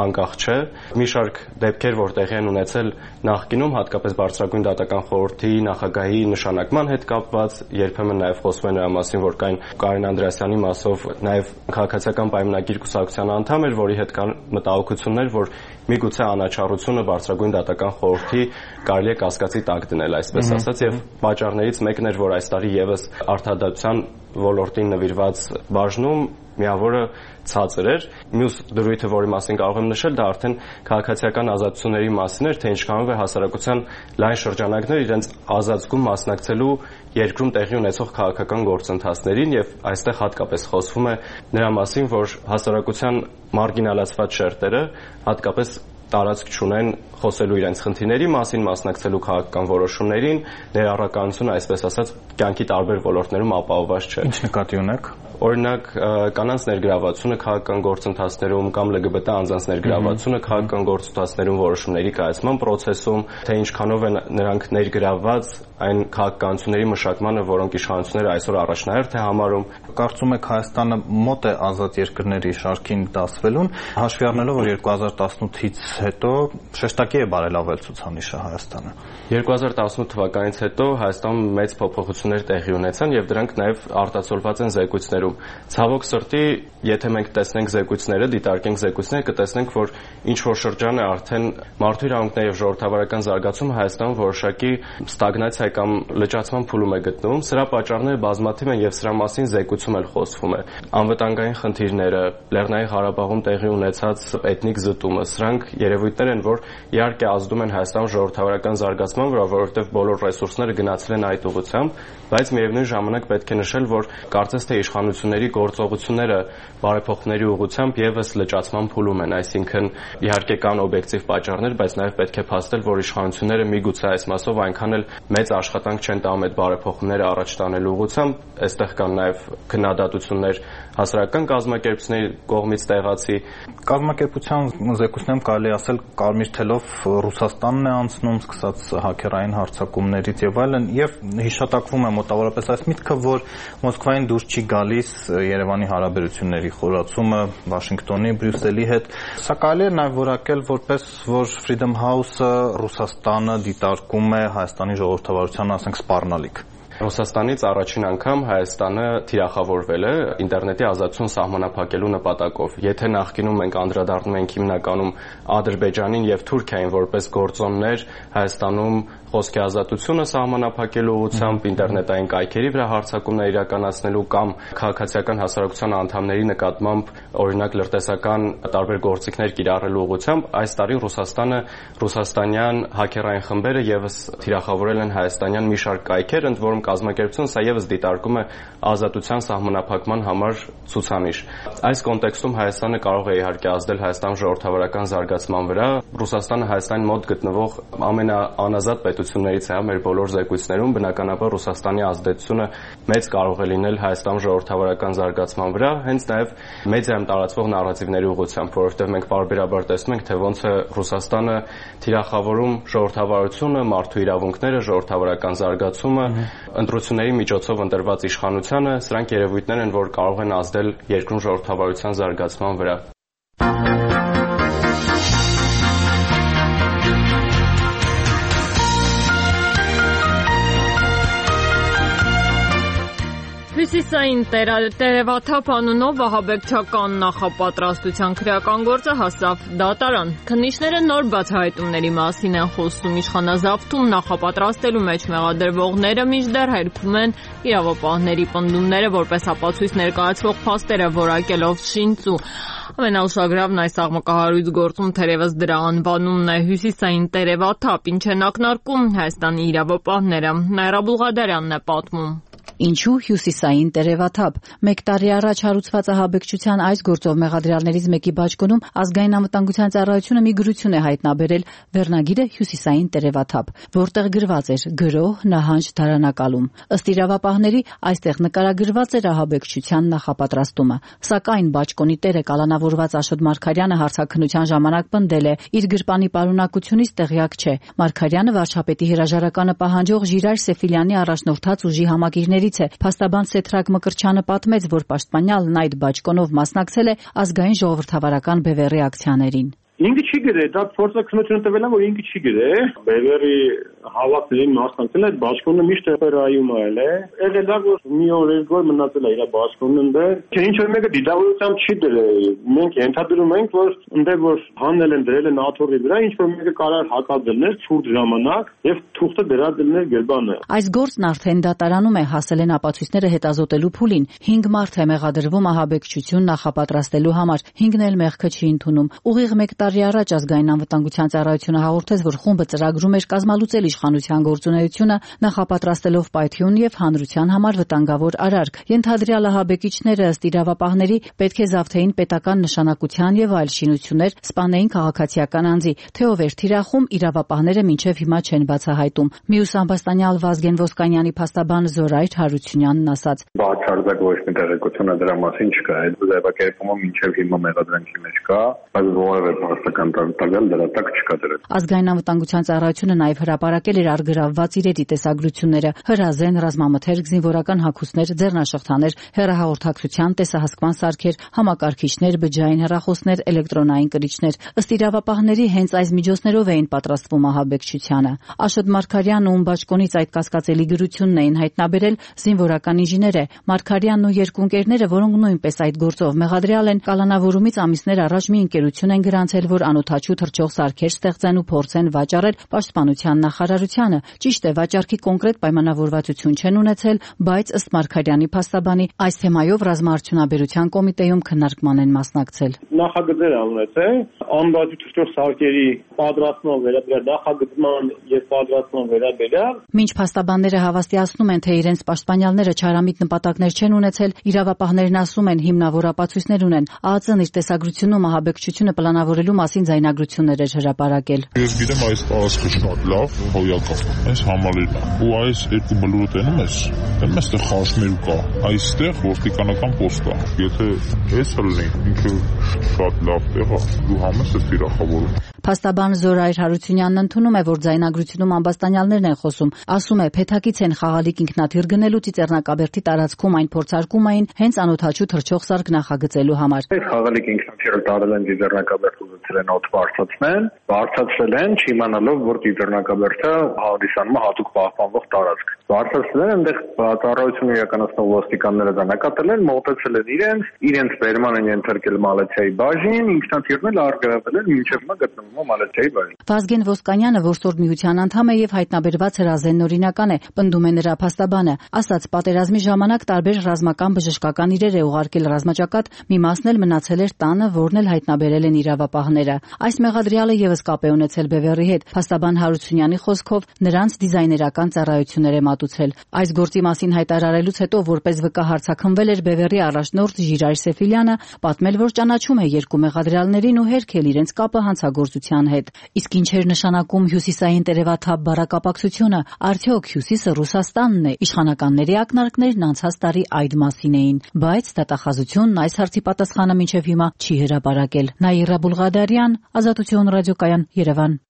անկախ չէ։ Մի շարք դեպքեր, որ տեղի են ունեցել նախկինում, հատկապես Բարձրագույն դատական խորհրդի նախագահի նշանակման հետ կապված, երբեմն նաև խոսվում է նրա մասին, որ Կարեն Անդրեասյանի մասով նաև քաղաքացիական պայմանագիր կուսակցության անդամ էր, որի հետ կան մտահոգություններ, որ միգուցե անաչառությունը Բարձրագույն դատական խորհրդի կարելի է կասկածի տակ դնել, այսպես ասած, եւ պատճառներից մեկն էր, որ այս տարի եւս արդարադատության ոլորտին նվիրված բաժնում միավորը ցածր էր։ Մյուս դրույթը, որի մասին կարող եմ նշել, դա արդեն քաղաքացիական ազատությունների մասին էր, թե ինչքանով է հասարակության լայն շրջանակներ իրենց ազատում մասնակցելու երկրում տեղի ունեցող քաղաքական գործընթացներին, եւ այստեղ հատկապես խոսվում է նրա մասին, որ հասարակության մարգինալացված շերտերը հատկապես տարածք չունեն խոսելու իրենց խնդիրների մասին, մասնակցելու քաղաքական որոշումներին, ներառականությունը, այսպես ասած, կյանքի տարբեր ոլորտներում ապահովված չէ։ Ինչ նկատի ունեք։ Օրինակ, կանանց ներգրավվածությունը քաղաքական գործընթացներում կամ LGBT անձանց ներգրավվածությունը քաղաքական գործընթացներում որոշումների կայացման process-ում, թե ինչքանով են նրանք ներգրավված այն քաղաքականությունների մշակմանը, որոնք իշխանությունները այսօր առաջնահերթ է համարում։ Կարծում եք Հայաստանը մոտ է ազատ երկրների շարքին դասվելուն, հաշվի առնելով, որ 2018-ից հետո շեշտակի է բարելավել ցուցանիշը Հայաստանը։ 2018 թվականից հետո Հայաստանում մեծ փոփոխություններ տեղի ունեցան եւ դրանք նաեւ արտացոլված են զեկույցներում։ Ցավոք սրտի, եթե մենք տեսնենք զեկույցները, դիտարկենք զեկույցները, կտեսնենք, որ ինչ որ շրջան է արդեն մարդու իրավունքների եւ ժողովրդավարական զարգացումը Հայաստանում որոշակի ստագնացիա կամ լճացման փուլում է գտնվում։ Սրա պատճառները բազմաթիվ են եւ սրա մասին զեկույցում էլ խոսվում է։ Անվտանգային խնդիրները, Լեռնային Ղարաբաղում տեղի ունեցած էթնիկ զտումը, սրանք երևույթներ են, որ իհարկե ազդում են Հայաստանում ժողովրդավարական զարգացման վրա, որովհետեւ բոլոր ռեսուրսները գնացել են այդ ուղղությամբ, բայց միևնույն ժամանակ պետք է նշել, որ կարծես թե իշխանությունների գործողությունները բարեփոխումների ուղղությամբ եւս լճացման փուլում են, այսինքն իհարկե կան օբյեկտիվ պատճառներ, բայց նաեւ պետք է փաստել, որ իշխանությունները միգուցե այս մասով այնքան էլ մեծ աշխատանք չեն տանում այդ բարեփոխումները առաջ տանելու ուղղությամբ, այստեղ կան նաեւ քննադատություններ հասարակական կազմակերպությունների կողմից տեղացի կազմակերպության զեկույցներում կարելի ասել կարմիր թելով Ռուսաստանն է անցնում, սկսած հաքերային հարձակումներից եւ այլն, եւ հիշատակվում է մոտավորապես այս միտքը, որ Մոսկվային դուրս չի գալիս Երևանի հարաբերությունների խորացումը Վաշինգտոնի, Բրյուսելի հետ։ Սա կարելի է նաեւ որակել որպես, որ Freedom House-ը Ռուսաստանը դիտարկում է Հայաստանի ժողովրդավարության, ասենք, սպառնալիք։ Ռուսաստանից առաջին անգամ Հայաստանը թիրախավորվել է ինտերնետի ազատություն սահմանափակելու նպատակով։ Եթե նախկինում մենք անդրադառնում ենք հիմնականում Ադրբեջանին եւ Թուրքիային որպես գործոններ Հայաստանում խոսքի ազատությունը սահմանափակելու ուղղությամբ ինտերնետային կայքերի վրա հարձակումներ իրականացնելու կամ քաղաքացիական հասարակության անդամների նկատմամբ օրինակ լրտեսական տարբեր գործիքներ կիրառելու ուղղությամբ, այս տարի Ռուսաստանը ռուսաստանյան հաքերային խմբերը եւս թիրախավորել են հայաստանյան մի շարք կայքեր, ընդ որում կազմակերպություն, սա եւս դիտարկում է ազատության սահմանափակման համար ցուցանիշ։ Այս կոնտեքստում Հայաստանը կարող է իհարկե ազդել Հայաստանի ժողովրդավարական զարգացման վրա։ Ռուսաստանը Հայաստանի մոտ գտնվող ամենաանազատ պետություններից է մեր բոլոր զեկույցներում, բնականաբար Ռուսաստանի ազդեցությունը մեծ կարող է լինել Հայաստանի ժողովրդավարական զարգացման վրա, հենց նաեւ մեդիայում տարածվող նարատիվների ուղղությամբ, որովհետեւ մենք պարբերաբար տեսնում ենք, թե ոնց է Ռուսաստանը թիրախավորում ժողովրդավարությունը, մարդու իրավունքները, ժողովրդավարական զարգացումը, ընտրությունների միջոցով ընտրված իշխանությունը, սրանք երևույթներ են, որ կարող են ազդել երկրում ժողովրդավարության զարգացման վրա։ Հյուսիսային տերևաթափ անունով վահաբեկչական նախապատրաստության քրեական գործը հասավ դատարան։ Քննիչները նոր բացահայտումների մասին են խոսում։ Իշխանազավթում նախապատրաստելու մեջ մեղադրվողները մինչդեռ հերքում են իրավապահների պնդումները, որպես ապացույց ներկայացվող փաստերը որակելով շինծու։ Ամենաուշագրավն այս աղմկահարույց գործում թերևս դրա անվանումն է՝ հյուսիսային տերևաթափ, ինչ են ակնարկում Հայաստանի իրավապահները։ Նաիրա Բուլղադարյանն է պատմում։ Ինչու հյուսիսային տերևաթափ։ 1 տարի առաջ հարուցված ահաբեկչության այս գործով մեղադրյալներից մեկի բաճկոնում ազգային անվտանգության ծառայությունը մի գրություն է հայտնաբերել, վերնագիրը հյուսիսային տերևաթափ, որտեղ գրված էր գրոհ, նահանջ, դարանակալում։ Ըստ իրավապահների, այստեղ նկարագրված էր ահաբեկչության նախապատրաստումը։ Սակայն բաճկոնի տերը կալանավորված Աշոտ Մարգարյանը հարցաքննության ժամանակ պնդել է, իր գրպանի պարունակությունից տեղյակ չէ։ Մարգարյանը վարչապետի հրաժարականը պահանջող Ժիրայր Սեֆիլյանի առաջնորդած ուժի համակիրներից է։ Փաստաբան Սեթրակ Մկրտչյանը պատմեց, որ պաշտպանյալն այդ բաճկոնով մասնակցել է ազգային ժողովրդավարական բևեռի ակցիաներին։ Ինքը չի գրել, դա փորձակնությունը տվել է, որ ինքը չի գրել։ Բևեռի հավաքներին մասնակցել այդ բաճկոնը միշտ օպերայում այլ է։ Եղել է որ մի օր երկու օր մնացել է իր բաճկոնն դեր։ Չէ, ինչ որ մեկը դիտավորությամբ չի դրել։ Մենք ենթադրում ենք, որ ընդեր որ հանել են դրել են աթոռի վրա, ինչ որ մեկը կարար հակադրներ ցուրտ ժամանակ եւ թուղթը դրադրներ գրբանը։ Այս գործն արդեն դատարանում է, հասել են ապացույցները հետազոտելու փուլին։ 5 մարդ է մեղադրվում ահաբեկչություն նախապատրաստելու համար։ 5-ն էլ մեղքը չի ընդունում։ Ուղիղ 1 տարի առաջ ազգային անվտանգության ծառայությունը հաղորդեց, որ խումբը ծրագրում էր կազմալուծել իշխանության գործունեությունը, նախապատրաստելով պայթյուն եւ հանրության համար վտանգավոր արարք։ Ենթադրյալ ահաբեկիչները ըստ իրավապահների պետք է զավթեին պետական նշանակության եւ այլ շինություններ, սպանեին քաղաքացիական անձի։ Թե ով էր թիրախում, իրավապահները մինչեւ հիմա չեն բացահայտում։ Մյուս ամբաստանյալ Վազգեն Ոսկանյանի փաստաբան Զորայր Հարությունյանն ասաց. Բացարձակ ոչ մի տեղեկություն դրա մասին չկա։ Այդ ձևակերպումը մինչեւ հիմա մեղադրանքի մեջ կա, բայց որևէ փաստական տվյալ դրա տակ չկա դրա։ Ազգային անվտանգության ծառայությունը նաև հրապարակել էր առգրավված իրերի տեսագրությունները՝ հրազեն, ռազմամթերք, զինվորական հագուստներ, ձեռնաշղթաներ, հեռահաղորդակցության տեսահսկման սարքեր, համակարգիչներ, բջջային հեռախոսներ, էլեկտրոնային կրիչներ։ Ըստ իրավապահների, հենց այս միջոցներով էին պատրաստվում ահաբեկչությանը։ Աշոտ Մարգարյանն ում բաճկոնից այդ կասկածելի գրությունն էին հայտնաբերել, զինվորական ինժեներ է։ Մարգարյանն ու երկու ընկերները, որոնք նույնպես այդ գործով մեղադրյալ են, կալանավորումից ամիսներ առաջ մի ընկերություն են գրանցել, որ անօթաչու թռչող սարքեր ստեղծեն ու փորձեն վաճառել Պաշտպանության նախարարությանը։ Ճիշտ է, վաճառքի կոնկրետ պայմանավորվածություն չեն ունեցել, բայց ըստ Մարգարյանի փաստաբանի, այս թեմայով ռազմաարդյունաբերության կոմիտեում քննարկման են մասնակցել։ Նախագծեր ունեցել անօթաչու թռչող սարքերի պատրաստման վերաբերյալ նախագծման եւ պատրաստման վերաբերյալ։ Մինչ փաստաբանները հավաստիացնում են, թե իրենց պաշտպանյալները չարամիտ նպատակներ չեն ունեցել, իրավապահներն ասում են հիմնավոր ապացույցներ ունեն։ ԱԱԾ-ն իր տեսագրությունում ահաբեկչությունը պլանավորելու մասին ձայնագրություններ էր հրապարակել։ Ես գիտեմ այս տարածքը շատ լավ հոյակ է, այս համալիրն է, ու այս երկու բլուրը տենում ես, այստեղ խաշմերու կա, այստեղ ոստիկանական պոստ կա։ Եթե էս լինի, ինքը շատ լավ տեղ է, դու համես ես թիրախավորում։ Փաստաբան Զորայր Հարությունյանն ընդունում է, որ ձայնագրությունում ամբաստանյալներն են խոսում։ Ասում է, փեթակից են խաղալիք ինքնաթիռ գնելու Ծիծեռնակաբերդի տարածքում այն փորձարկում էին հենց անօթաչու թռչող սարք նախագծելու համար։ Այս խաղալիք ինքնաթիռը տարել են Ծիծեռնակաբերդ ուզեցել են օդ բարձրացնել են, չիմանալով, որ Ծիծեռնակաբերդը հանդիսանում է հատուկ պահպանվող տարածք։ Բարձրացնել են, այնտեղ ծառայությունը իրականացնող ոստիկանները դա նկատել են, մոտեցել են իրենց բերման են ենթարկել Մալեցիայի բաժին, ինքնաթիռն էլ առգրավել են, մինչև հիմա գտնվում Մալեցիայի բաժին։ Վազգեն Ոսկանյանը, որսորդ միության անդամ է եւ հայտնաբերված հրազենն օրինական է, պնդում է նրա փաստաբանը, ասաց պատերազմի ժամանակ տարբեր ռազմական բժշկական իրեր է ուղարկել ռազմաճակատ, մի մասն էլ մնացել էր տանը, որն էլ հայտնաբերել են իրավապահները։ Այս մեղադրյալը եւս կապ է ունեցել Բևեռի հետ։ Փաստաբան Հարությունյանի խոսքով նրանց դիզայներական ծառայություններ է մատուցել։ Այս գործի մասին հայտարարելուց հետո որպես վկա հարցաքննվել էր Բևեռի առաջնորդ Ժիրայր Սեֆիլյանը, պատմել, որ ճանաչում է երկու մեղադրյալներին ու հերքել իրենց կապը հանցագործության հետ։ Իսկ ինչ էր նշանակում հյուսիսային տերևաթափ բառակապակցությունը, արդյոք Հյուսիսը Ռուսաստանն է։ Իշխանականների ակնարկներն անցած տարի այդ մասին էին, բայց դատախազությունն այս հարցի պատասխանը մինչև հիմա չի հրապարակել։ Նաիրա Բուլղադարյան, Ազատություն ռադիոկայան, Երևան։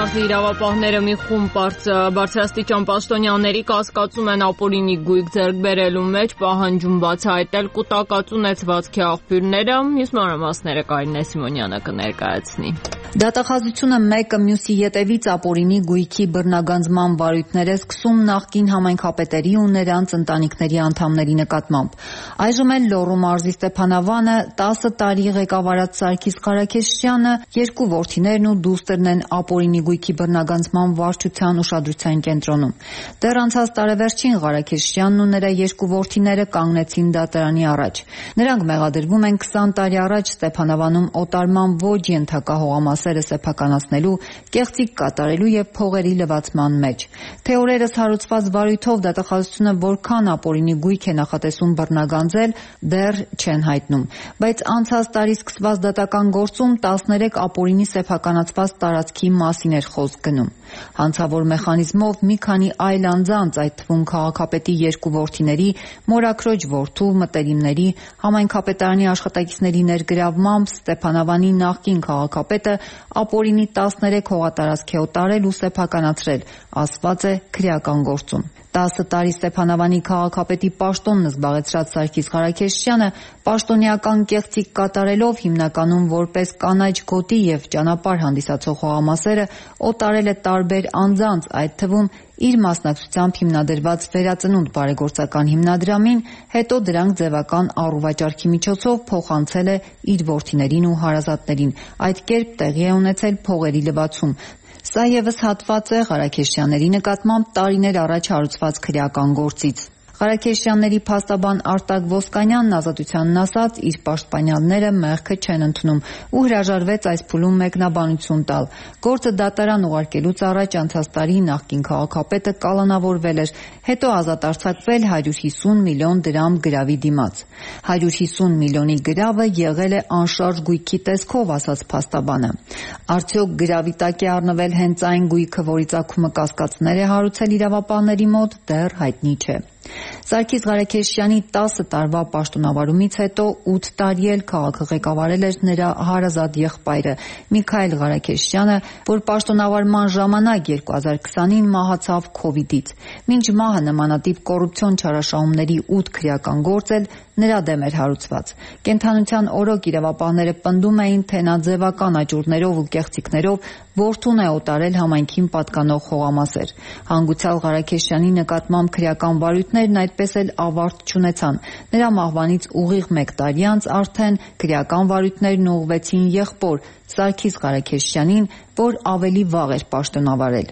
Մարզի իրավապահները մի խումբ բարձրաստիճան պաշտոնյաների կասկածում են ապօրինի գույք ձեռք բերելու մեջ, պահանջում բացահայտել կուտակած ունեցվածքի աղբյուրները։ Մյուս մանրամասները Կարինե Սիմոնյանը կներկայացնի։ Դատախազությունը մեկը մյուսի ետևից ապօրինի գույքի բռնագանձման վարույթներ է սկսում նախկին համայնքապետերի ու նրանց ընտանիքների անդամների նկատմամբ։ Այժմ էլ Լոռու մարզի Ստեփանավանը 10 տարի ղեկավարած Սարգիս Ղարաքեշյանը, երկու որդիներն ու դուստրն են ապօրինի գույքի բռնագանձման վարչության ուշադրության կենտրոնում։ Դեռ անցած տարեվերջին Ղարաքեշյանն ու նրա երկու որդիները կանգնեցին դատարանի առաջ։ Նրանք մեղադրվում են 20 տարի առաջ Ստեփանավանում օտարման ոչ ենթակա հողամասերը սեփականացնելու, կեղծիք կատարելու եւ փողերի լվացման մեջ։ Թե օրերս հարուցված վարույթով դատախազությունը որքան ապօրինի գույք է նախատեսում բռնագանձել, դեռ չեն հայտնում, բայց անցած տարի սկսված դատական գործում 13 ապօրինի սեփականացված տարածքի մասին էր խոսք գնում։ Հանցավոր մեխանիզմով մի քանի այլ անձանց, այդ թվում քաղաքապետի երկու որդիների, մորաքրոջ որդու, մտերիմների, համայնքապետարանի աշխատակիցների ներգրավմամբ Ստեփանավանի նախկին քաղաքապետը ապօրինի 13 հողատարածք է օտարել ու սեփականացրել, ասված է քրեական գործում։ 10 տարի Ստեփանավանի քաղաքապետի պաշտոնն զբաղեցրած Սարգիս Ղարաքեշյանը պաշտոնեական կեղծիք կատարելով հիմնականում որպես կանաչ գոտի եւ ճանապարհ հանդիսացող հողամասերը օտարել է տարբեր անձանց, այդ թվում իր մասնակցությամբ հիմնադրված Վերածնունդ բարեգործական հիմնադրամին, հետո դրանք ձևական առուվաճառքի միջոցով փոխանցել է իր որդիներին ու հարազատներին։ Այդ կերպ տեղի է ունեցել փողերի լվացում։ Սա ևս հատված է Ղարաքեշյանների նկատմամբ տարիներ առաջ հարուցված քրեական գործից։ Ղարաքեշյանների փաստաբան Արտակ Ոսկանյանն Ազատությանն ասաց, իր պաշտպանյալները մեղքը չեն ընդունում ու հրաժարվեց այս փուլում մեկնաբանություն տալ։ Գործը դատարան ուղարկելուց առաջ անցած տարի նախկին քաղաքապետը կալանավորվել էր, հետո ազատ արձակվել 150 միլիոն դրամ գրավի դիմաց։ 150 միլիոնի գրավը եղել է անշարժ գույքի տեսքով, ասաց փաստաբանը։ Արդյոք գրավի տակ է առնվել հենց այն գույքը, որի ծագումը կասկածներ է հարուցել իրավապահների մոտ, դեռ հայտնի չէ։ Սարգիս Ղարաքեշյանի 10 տարվա պաշտոնավարումից հետո 8 տարի էլ քաղաքը ղեկավարել էր նրա հարազատ եղբայրը Միքայել Ղարաքեշյանը, որ պաշտոնավարման ժամանակ 2020-ին մահացավ քովիդից։ Մինչ մահը նմանատիպ կոռուպցիոն չարաշահումների 8 քրեական գործ էլ նրա դեմ էր հարուցված։ Կենդանության օրոք իրավապահները պնդում էին, թե նա ձևական աճուրներով ու կեղծիքներով որդուն է օտարել համայնքին պատկանող հողամասեր։ Հանգուցյալ Ղարաքեշյանի նկատմամբ քրեական վարույթներն այդպես էլ ավարտ չունեցան։ Նրա մահվանից ուղիղ 1 տարի անց արդեն քրեական վարույթներն ուղղվեցին եղբոր Սարգիս Ղարաքեշյանին, որ ավելի վաղ էր պաշտոնավարել։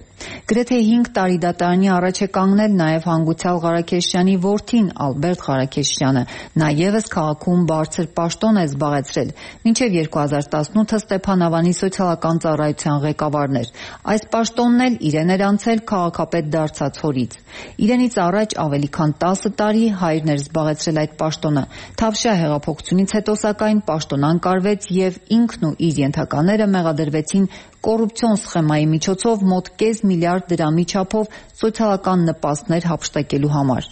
Գրեթե 5 տարի դատարանի առաջ է կանգնել նաև հանգուցյալ Ղարաքեշյանի որդին Ալբերտ Ղարաքեշյանը։ Նա ևս քաղաքում բարձր պաշտոն է զբաղեցրել, մինչև 2018-ը Ստեփանավանի սոցիալական ծառայության ղեկավարն էր։ Այս պաշտոնն էլ իրեն էր անցել քաղաքապետ դարձած հորից։ Իրենից առաջ ավելի քան 10 տարի հայրն էր զբաղեցրել այդ պաշտոնը։ Թավշյա հեղափոխությունից հետո սակայն պաշտոն անկարվեց եւ ինքն ու իր ենթակաները մեղադրվեցին կոռուպցիոն սխեմայի միջոցով մոտ կես միլիարդ դրամի չափով սոցիալական նպաստներ հափշտակելու համար։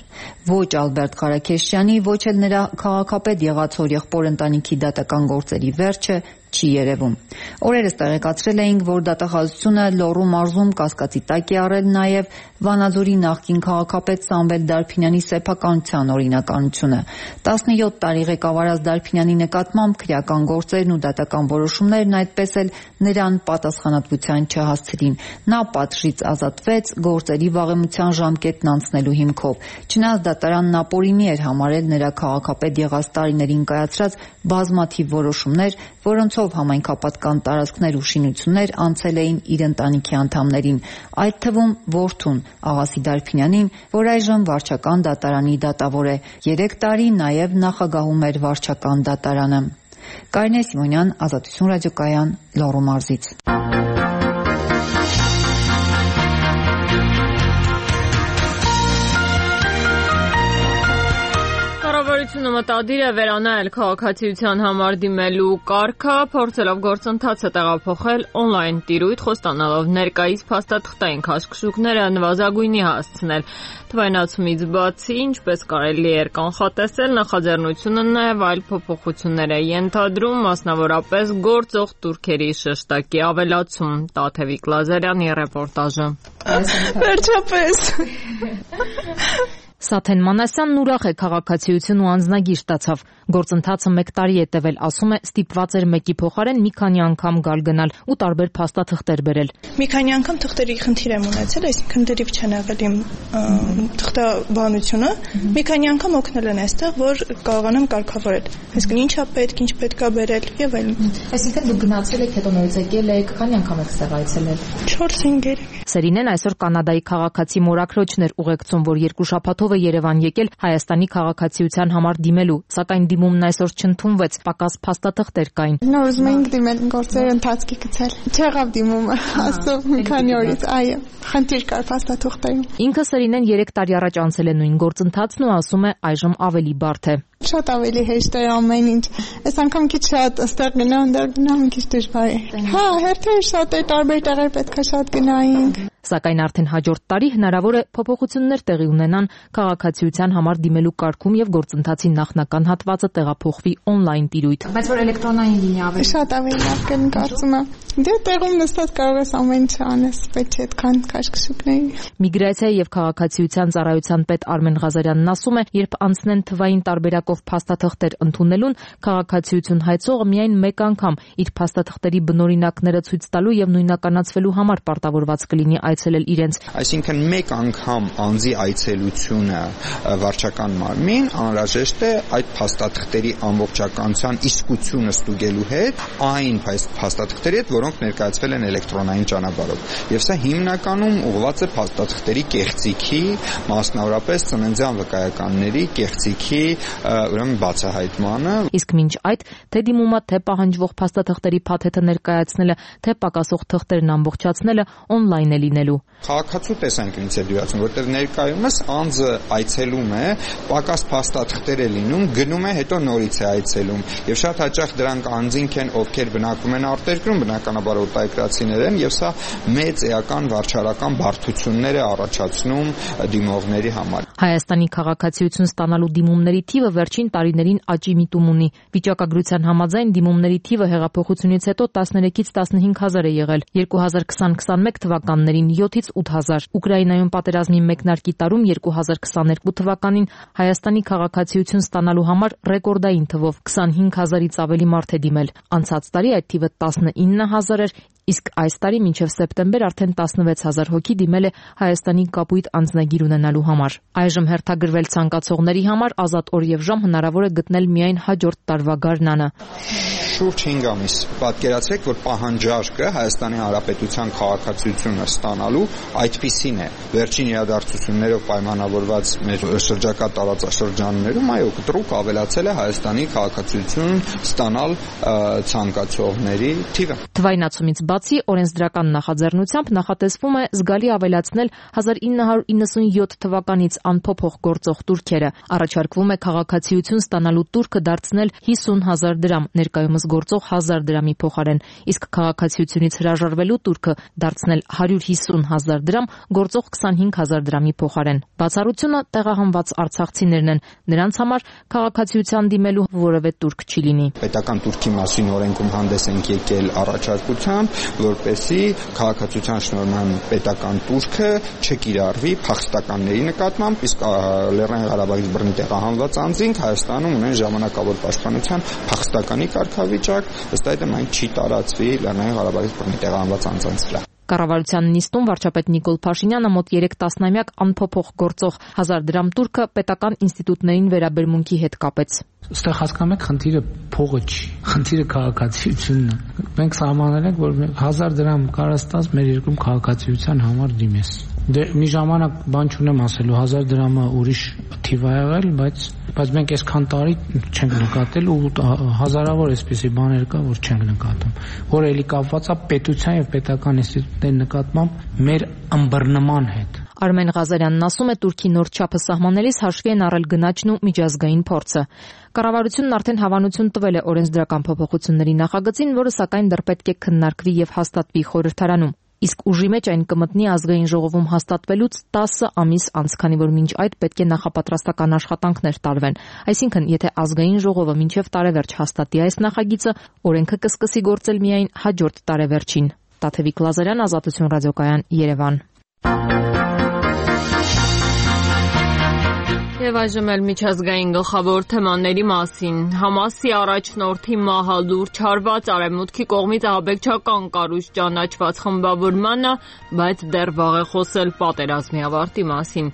Ոչ Ալբերտ Ղարաքեշյանի, ոչ էլ նրա քաղաքապետ եղած հորեղբոր ընտանիքի դատական գործերի վերջը չի երևում։ Օրերս տեղեկացրել էինք, որ դատախազությունը Լոռու մարզում կասկածի տակ է առել նաև Վանաձորի նախկին քաղաքապետ Սամվել Դարփինյանի սեփականության օրինականությունը։ 17 տարի ղեկավարած Դարփինյանի նկատմամբ քրեական գործերն ու դատական որոշումներն այդպես էլ նրան պատասխանատվության չհասցրին։ Նա պատժից ազատվեց գործերի վաղեմության ժամկետն անցնելու հիմքով։ Չնայած դատարանն ապօրինի էր համարել նրա քաղաքապետ եղած տարիներին կայացրած բազմաթիվ որոշումներ, որոնցով շուրթով համայնքապատկան տարածքներ ու շինություններ անցել էին իր ընտանիքի անդամներին, այդ թվում որդուն Աղասի Դարփինյանին, որ այժմ վարչական դատարանի դատավոր է, 3 տարի նաև նախագահում էր վարչական դատարանը։ Կարինե Սիմոնյան, Ազատություն ռադիոկայան, Լոռու մարզից։ Կառավարությունը մտադիր է վերանայել քաղաքացիության համար դիմելու կարգը, փորձելով գործընթացը տեղափոխել օնլայն տիրույթ, խոստանալով ներկայիս փաստաթղթային քաշքշուկները նվազագույնի հասցնել։ Թվայնացումից բացի, ինչպես կարելի էր կանխատեսել, նախաձեռնությունը նաև այլ փոփոխություններ է ենթադրում, մասնավորապես գործող տուրքերի շշտակի ավելացում։ Տաթևիկ Լազարյանի ռեպորտաժը։ Վերջապես։ Սաթեն Մանասյանն ուրախ է, քաղաքացիություն ու անձնագիր ստացավ։ Գործընթացը 1 տարի է տևել, ասում է, ստիպված էր մեկի փոխարեն մի քանի անգամ գալ-գնալ ու տարբեր փաստաթղթեր բերել։ Մի քանի անգամ թղթերի խնդիր եմ ունեցել, այսինքն դրիվ չեն եղել իմ թղթաբանությունը։ Մի քանի անգամ օգնել են այստեղ, որ կարողանամ կարգավորել։ Այսինքն ինչա պետք, ինչ պետք է բերել եւ այլն։ Այսինքն դուք գնացել եք, հետո նորից եկել եք, քանի անգամ եք ստեղ այցելել։ 4-5 Սերինեն այսօր Կանադայի քաղաքացի մորաքրոջն էր ուղեկցում, որ 2 շաբաթով է Երևան եկել Հայաստանի քաղաքացիության համար դիմելու, սակայն դիմումն այսօր չընդունվեց, պակաս փաստաթղթեր կային։ Նոր ուզում էինք դիմել, գործերը ընթացքի գցել։ Չեղավ դիմումը, աստծո մի քանի օրից, այո, խնդիր կար փաստաթղթերում։ Ինքը Սերինեն 3 տարի առաջ անցել է նույն գործընթացն ու ասում է այժմ ավելի բարդ է։ Շատ ավելի հեշտ է ամեն ինչ։ Այս անգամ քիչ շատ այստեղ գնամ, քիչ դժվար է։ Հա, հերթեր շատ է, տարբեր տեղեր պետք է շատ գնայինք։ Սակայն արդեն հաջորդ տարի հնարավոր է փոփոխություններ տեղի ունենան քաղաքացիության համար դիմելու կարգում եւ գործընթացի նախնական հատվածը տեղափոխվի օնլայն տիրույթ։ Բայց որ էլեկտրոնային լինի ավելի շատ ավելի լավ կն կարծում եմ։ Դե տեղում նստած կարող ես ամեն ինչ անես, պետք է այդքան քաշքշուկների։ Միգրացիայի եւ քաղաքացիության ծառայության պետ Արմեն Ղազարյանն ասում է, երբ անցնեն թվային տարբերակով փաստաթղթեր ընդունելուն, քաղաքացիություն հայցողը միայն մեկ անգամ իր փաստաթղթերի բնօրինակները ցույց տալու եւ նույնականացվելու համար պարտավորված կլինի այցելել իրենց։ Այսինքն մեկ անգամ անձի այցելությունը վարչական մարմին անհրաժեշտ է այդ փաստաթղթերի ամբողջականության իսկությունը ստուգելու հետ այն փաստաթղթերի հետ, որոնք ներկայացվել են էլեկտրոնային ճանապարհով։ Եվ սա հիմնականում ուղղված է փաստաթղթերի կեղծիքի, մասնավորապես ծննդյան վկայականների կեղծիքի ուրեմն բացահայտմանը։ Իսկ մինչ այդ թե դիմումը, թե պահանջվող փաստաթղթերի փաթեթը ներկայացնելը, թե պակասող թղթերն ամբողջացնելը օնլայն է լինելու։ Քաղաքացու տեսանկյունից է դյուրացում, որտեղ ներկայումս անձը այցելում է, պակաս փաստաթղթեր է լինում, գնում է, հետո նորից է այցելում։ Եվ շատ հաճախ դրանք անձինք են, ովքեր բնակվում են արտերկրում, բնականաբար օտարերկրացիներ են, եւ սա մեծ էական վարչարական բարդություններ է առաջացնում դիմողների համար։ Հայաստանի քաղաքացիություն ստանալու դիմումների թիվը վերջին տարիներին աճի միտում ունի։ Վիճակագրության համաձայն դիմումների թիվը հեղափոխությունից հետո 13-ից 15000 է եղել։ 2020-21 թվականներին 7-ից 8000։ Ուկրաինայում պատերազմի մեկնարկի տարում 2022 թվականին Հայաստանի քաղաքացիություն ստանալու համար ռեկորդային թվով 25000-ից ավելի մարդ է դիմել։ Անցած տարի այդ թիվը 19000 էր, իսկ այս տարի մինչև սեպտեմբեր արդեն 16000 հոգի դիմել է Հայաստանի կապույտ անձնագիր ունենալու համար։ Այժմ հերթագրվել ցանկացողների համար ազատ օր եւ ժամ հնարավոր է գտնել միայն հաջորդ տարվա գարնանը։ Շուրջ 5 ամիս պատկերացրեք, որ պահանջարկը Հայաստանի Հանրապետության քաղաքացիությունը ստանալու այդպիսին է։ Վերջին իրադարձություններով պայմանավորված մեր շրջակա տարածաշրջաններում այո, կտրուկ ավելացել է Հայաստանի քաղաքացիություն ստանալ ցանկացողների թիվը։ Թվայնացումից բացի օրենսդրական նախաձեռնությամբ նախատեսվում է զգալի ավելացնել 1997 թվականից անփոփոխ գործող տուրքերը։ Առաջարկվում է քաղաքացիություն ստանալու տուրքը դարձնել 50000 դրամ, ներկայումս գործող 1000 դրամի փոխարեն, իսկ քաղաքացիությունից հրաժարվելու տուրքը դարձնել 150000 դրամ, գործող 25000 դրամի փոխարեն։ Բացառությունը տեղահանված արցախցիներն են, նրանց համար քաղաքացիության դիմելու որևէ տուրք չի լինի։ Պետական տուրքի մասին օրենքում հանդես ենք եկել առաջարկությամբ, որպեսզի քաղաքացիության շնորհման պետական տուրքը չկիրառվի փախստականների նկատմամբ, իսկ Լեռնային Ղարաբաղից բռնի տեղահանված անձինք Հայաստանում ունեն ժամանակավոր պաշտպանության փախստականի կարգավիճակ, ըստ այդմ այն չի տարածվի Լեռնային Ղարաբաղից բռնի տեղահանված անձանց վրա։ Կառավարության նիստում վարչապետ Նիկոլ Փաշինյանը մոտ 3 տասնամյակ անփոփոխ գործող 1000 դրամ տուրքը պետական ինստիտուտներին վերաբերմունքի հետ կապեց։ Այստեղ հասկանում եք, խնդիրը փողը չի, խնդիրը քաղաքացիությունն է։ Մենք սահմանել ենք, որ 1000 դրամ կարած տաս մեր երկրում քաղաքացիության համար դիմես։ Դե մի ժամանակ բան չունեմ ասելու, 1000 դրամը ուրիշ թիվ ա եղել, բայց մենք այսքան տարի չենք նկատել ու հազարավոր այսպիսի բաներ կա, որ չենք նկատում, որ էլի կապված է պետության եւ պետական ինստիտուտների նկատմամբ մեր ըմբռնման հետ։ Արմեն Ղազարյանն ասում է, Թուրքի նոր չափը սահմանելիս հաշվի են առել գնաճն ու միջազգային փորձը։ Կառավարությունն արդեն հավանություն տվել է օրենսդրական փոփոխությունների նախագծին, որը սակայն դեռ պետք է քննարկվի եւ հաստատվի խորհրդարանում։ Իսկ ուժի մեջ այն կմտնի ազգային ժողովում հաստատվելուց 10 ամիս անց, քանի որ մինչ այդ պետք է նախապատրաստական աշխատանքներ տարվեն։ Այսինքն, եթե ազգային ժողովը մինչև տարեվերջ հաստատի այս նախագիծը, օրենքը կսկսի գործել միայն հաջորդ տարեվերջին։ Տաթևիկ Լազարյան, Ազատություն ռադիոկայան, Երևան։ Եվ այժմ էլ միջազգային գլխավոր թեմաների մասին։ Համասի առաջնորդի մահը լուրջ հարված Արևմուտքի կողմից ահաբեկչական կառույց ճանաչված խմբավորմանը, բայց դեռ վաղ է խոսել պատերազմի ավարտի մասին։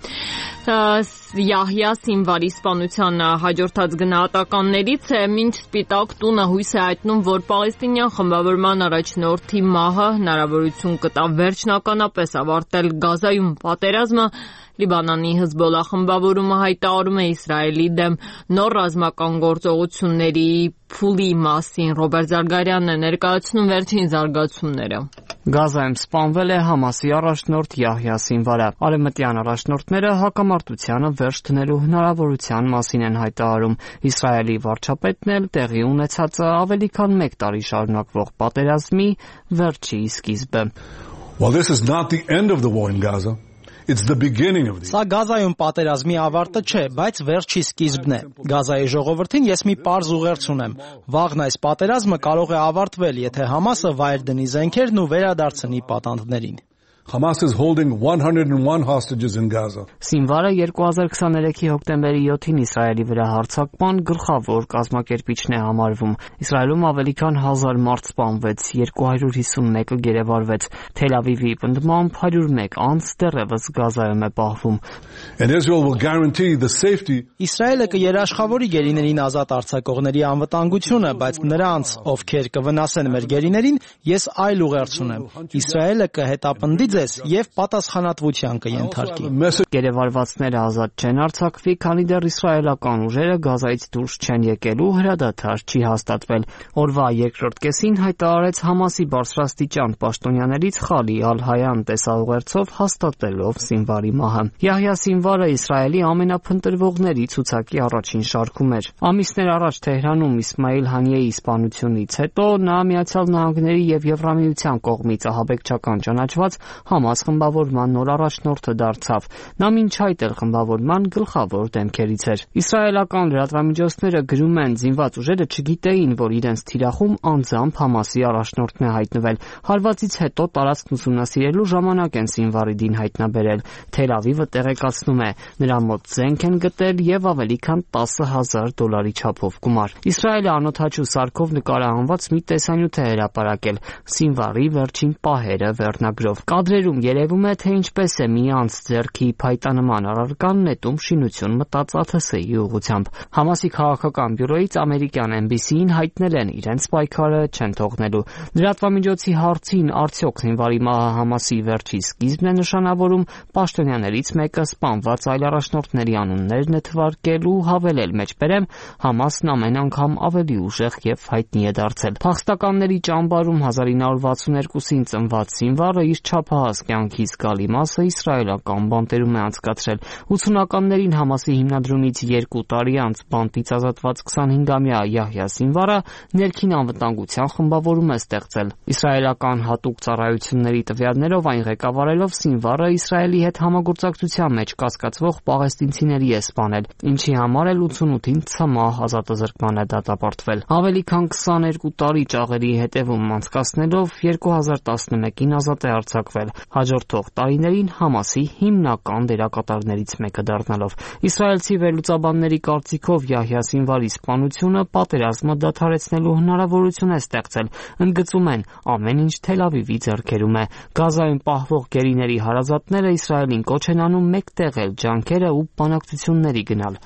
Յահյա Սինվարի սպանության հաջորդած գնահատականներից է, մինչ Սպիտակ տունը հույս է հայտնում, որ պալեստինյան խմբավորման առաջնորդի մահը հնարավորություն կտա վերջնականապես ավարտել Գազայում պատերազմը, Լիբանանի Հեզբոլլահ խմբավորումը հայտարարում է Իսրայելի դեմ նոր ռազմական գործողությունների փուլի մասին։ Ռոբերտ Զարգարյանն է ներկայացնում վերջին զարգացումները։ Գազայում սպանվել է Համասի առաջնորդ Յահյա Սինվարը։ Արևմտյան առաջնորդները հակամարտությանը վերջ դնելու հնարավորության մասին են հայտարարում։ Իսրայելի վարչապետն էլ տեղի ունեցածը ավելի քան 1 տարի շարունակվող պատերազմի վերջի սկիզբը։ Well, this is not the end of the war in Gaza. It's the beginning of the. Սա Գազայում պատերազմի ավարտը չէ, բայց վերջի սկիզբն է։ Գազայի ժողովրդին ես մի պարզ ուղերձ ունեմ։ Վաղն այս պատերազմը կարող է ավարտվել, եթե Համասը վայր դնի զենքերն ու վերադարձնի պատանդներին։ Hamas is holding 101 hostages in Gaza. Սինվարը 2023-ի հոկտեմբերի 7-ին Իսրայելի վրա հարձակման գլխավոր կազմակերպիչն է համարվում։ Իսրայելում ավելի քան 1000 մարդ սպանվեց, 251-ը գերեվարվեց։ Թել Ավիվի պնդմամբ 101 անձ դեռևս Գազայում է պահվում։ And Israel will guarantee the safety. Իսրայելը կերաշխավորի գերիներին ազատ արձակողների անվտանգությունը, բայց նրանց, ովքեր կվնասեն մեր գերիներին, ես այլ ուղերձ ունեմ։ Իսրայելը կհետապնդի եւ պատասխանատվության կենթարկի։ Գերեվարվածները ազատ չեն արձակվի, քանի դեռ իսրայելական ուժերը Գազայից դուրս չեն եկել ու հրադադար չի հաստատվել։ Օրվա երկրորդ կեսին հայտարարեց Համասի բարձրաստիճան պաշտոնյաներից Խալի Ալ-Հայան տեսաուղերձով հաստատելով Սինվարի մահը։ Յահյա Սինվարը Իսրայելի ամենափնտրվողների ցուցակի առաջին շարքում էր։ Ամիսներ առաջ Թեհրանում Իսմայիլ Հանիեի սպանությունից հետո նա Միացյալ Նահանգների եւ Եվրամիության կողմից ահաբեկչական ճանաչված Համաս խմբավորման նոր առաջնորդը դարձավ։ Նա մինչ այդ էլ խմբավորման գլխավոր դեմքերից էր։ Իսրայելական լրատվամիջոցները գրում են, զինված ուժերը չգիտեին, որ իրենց թիրախում անձամբ Համասի առաջնորդն է հայտնվել։ Հարվածից հետո տարածքն ուսումնասիրելու ժամանակ են Սինվարի դին հայտնաբերել։ Թել Ավիվը տեղեկացնում է, նրա մոտ զենք են գտել եւ ավելի քան $10,000 չափով գումար։ Իսրայելը անօթաչու սարքով նկարահանված մի տեսանյութ է հրապարակել Սինվարի վերջին պահերը վերնագրով։ Կադրերում երևում է, թե ինչպես է մի անձ ձեռքի փայտանման առարկան նետում շինություն մտած ԱԹՍ-ի ուղղությամբ։ Համասի քաղաքական բյուրոից ամերիկյան NBC-ին հայտնել են իրենց պայքարը չեն թողնելու։ Լրատվամիջոցի հարցին արդյոք Սինվարի մահը Համասի վերջի սկիզբն է նշանավորում, պաշտոնյաներից մեկը սպանված այլ առաջնորդների անուններն է թվարկել ու հավելել մեջբերեմ, Համասն ամեն անգամ ավելի ուժեղ եւ հայտնի է դարձել։ Փախստականների ճամբարում 1962-ին ծնված Սինվարը իր չափահաս կյանքի զգալի մասը իսրայելական բանտերում է անցկացրել։ 80-ականներին Համասի հիմնադրումից 2 տարի անց բանտից ազատված 25-ամյա Յահյա Սինվարը ներքին անվտանգության խմբավորում է ստեղծել։ Իսրայելական հատուկ ծառայությունների տվյալներով այն ղեկավարելով Սինվարը Իսրայելի հետ համագործակցության մեջ կասկածվող պաղեստինցիների է սպանել, ինչի համար էլ 88-ին ցմահ ազատազրկման է դատապարտվել։ Ավելի քան 22 տարի ճաղերի հետևում անցկացնելով 2011-ին ազատ է արձակվել։ ստեղծել, հաջորդող տարիներին Համասի հիմնական դերակատարներից մեկը դառնալով։ Իսրայելցի վերլուծաբանների կարծիքով Յահյա Սինվարի սպանությունը պատերազմը դադարեցնելու հնարավորություն է ստեղծել, ընդգծում են ամեն ինչ Թել Ավիվի ձեռքերում է։ Գազայում պահվող գերիների հարազատները Իսրայելին կոչ են անում մեկտեղել ջանքերը ու բանակցությունների գնալ։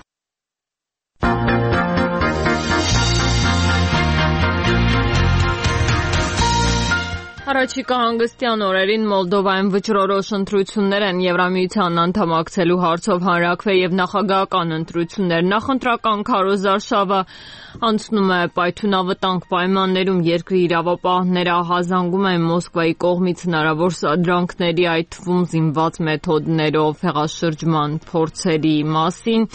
Առաջիկա հանգստյան օրերին Մոլդովայում վճռորոշ ընտրություններ են Եվրամիության անդամակցելու հարցով հանրաքվե եւ նախագահական ընտրություններ։ Նախընտրական քարոզարշավը անցնում է պայթյունավտանգ պայմաններում, երկրի իրավապահները ահազանգում են Մոսկվայի կողմից հնարավոր սադրանքների, այդ թվում զինված մեթոդներով հեղաշրջման փորձերի մասին։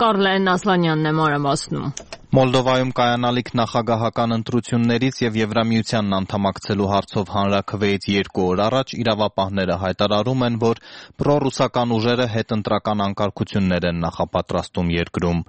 Կարլեն Ասլանյանն է մանրամասնում։ Մոլդովայում կայանալիք նախագահական ընտրություններից եւ Եվրամիությանն անդամակցելու հարցով հանրաքվեից 2 օր առաջ իրավապահները հայտարարում են, որ պրոռուսական ուժերը հետընտրական անկարգություններ են նախապատրաստում երկրում։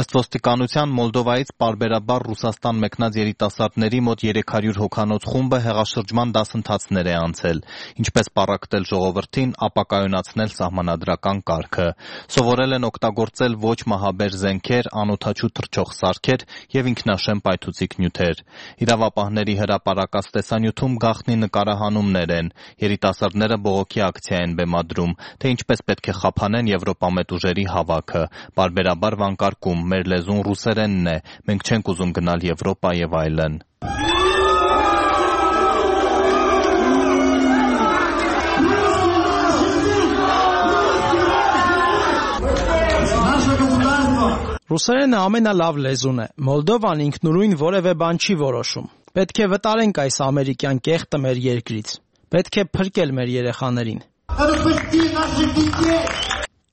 Ըստ ոստիկանության Մոլդովայից պարբերաբար Ռուսաստան մեկնած երիտասարդների մոտ 300 հոգանոց խումբը հեղաշրջման դասընթացներ է անցել, ինչպես պառակտել ժողովրդին, ապակայունացնել սահմանադրական կարգը։ Սովորել են օգտագործել ոչ մահաբեր զենքեր, անօդաչու թռչող սարքեր եւ ինքնաշեն պայթուցիկ նյութեր։ Իրավապահների հրապարակած տեսանյութում գաղտնի նկարահանումներ են։ Երիտասարդները բողոքի ակցիա են բեմադրում, թե ինչպես պետք է խափանեն Եվրոպամետ ուժերի հավաքը։ Պարբերաբար վանկարկում՝ մեր լեզուն ռուսերենն է, մենք չենք ուզում գնալ Եվրոպա եւ այլն։ Ռուսերենը ամենալավ լեզուն է։ Մոլդովան ինքնուրույն որևէ բան չի որոշում։ Պետք է վտարենք այս ամերիկյան կեղտը մեր երկրից։ Պետք է փրկել մեր երեխաներին։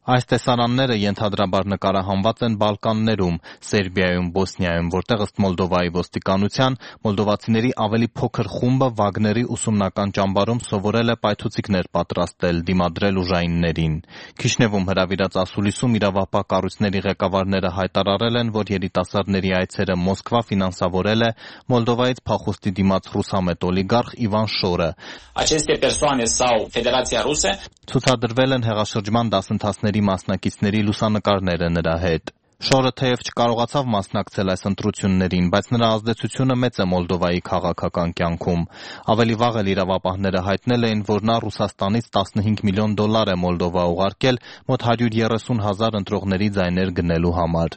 Այս տեսարանները ենթադրաբար նկարահանված են Բալկաններում, Սերբիայում, Բոսնիայում, որտեղ ըստ Մոլդովայի ոստիկանության մոլդովացիների ավելի փոքր խումբը Վագների ուսումնական ճամբարում սովորել է պայթուցիկներ պատրաստել, դիմադրել ուժայիններին։ Քիշնևում հրավիրած ասուլիսում իրավապահ կառույցների ղեկավարները հայտարարել են, որ երիտասարդների այցերը Մոսկվա ֆինանսավորել է Մոլդովայից փախուստի դիմաց ռուսամետ օլիգարխ Իվան Շորը։ Ցուցադրվել են հեղաշրջման դասընթացների մասնակիցների լուսանկարները նրա հետ։ Շորը թեև չկարողացավ մասնակցել այս ընտրություններին, բայց նրա ազդեցությունը մեծ է Մոլդովայի քաղաքական կյանքում։ Ավելի վաղ էլ իրավապահները հայտնել էին, որ նա Ռուսաստանից $15 միլիոն է Մոլդովա ուղարկել մոտ 130,000 ընտրողների ձայներ գնելու համար։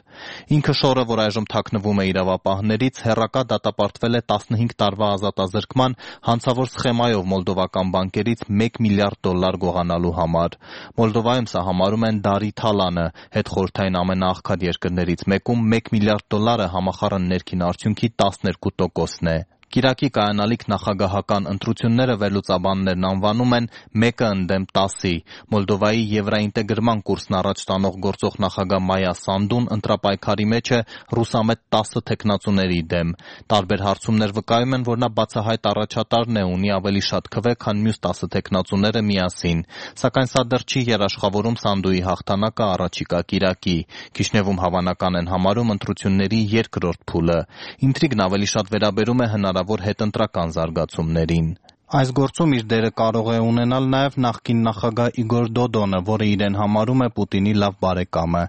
Ինքը Շորը, որ այժմ թաքնվում է իրավապահներից, հեռակա դատապարտվել է 15 տարվա ազատազրկման հանցավոր սխեմայով մոլդովական բանկերից $1 միլիարդ գողանալու համար։ Մոլդովայում սա համարում են դարի թալանը, հետխորհրդային ամենաաղքատ երկրներից մեկում $1 միլիարդ համախառն ներքին արդյունքի 12%-ն է։ Կիրակի կայանալիք նախագահական ընտրությունները վերլուծաբաններն անվանում են 1-ը ընդդեմ 10-ի։ Մոլդովայի եվրաինտեգրման կուրսն առաջ տանող գործող նախագահ Մայա Սանդուն ընտրապայքարի մեջ է ռուսամետ 10 թեկնածուների դեմ։ Տարբեր հարցումներ վկայում են, որ նա բացահայտ առաջատարն է, ունի ավելի շատ քվե, քան մյուս 10 թեկնածուները միասին։ Սակայն սա դեռ չի երաշխավորում Սանդուի հաղթանակը առաջիկա կիրակի։ Քիշնևում հավանական են համարում ընտրությունների երկրորդ փուլը։ Ինտրիգն ավելի շատ վերաբերում է հնարավոր հետընտրական զարգացումներին։ Այս գործում իր դերը կարող է ունենալ նաև նախկին նախագահ Իգոր Դոդոնը, որը իրեն համարում է Պուտինի լավ բարեկամը։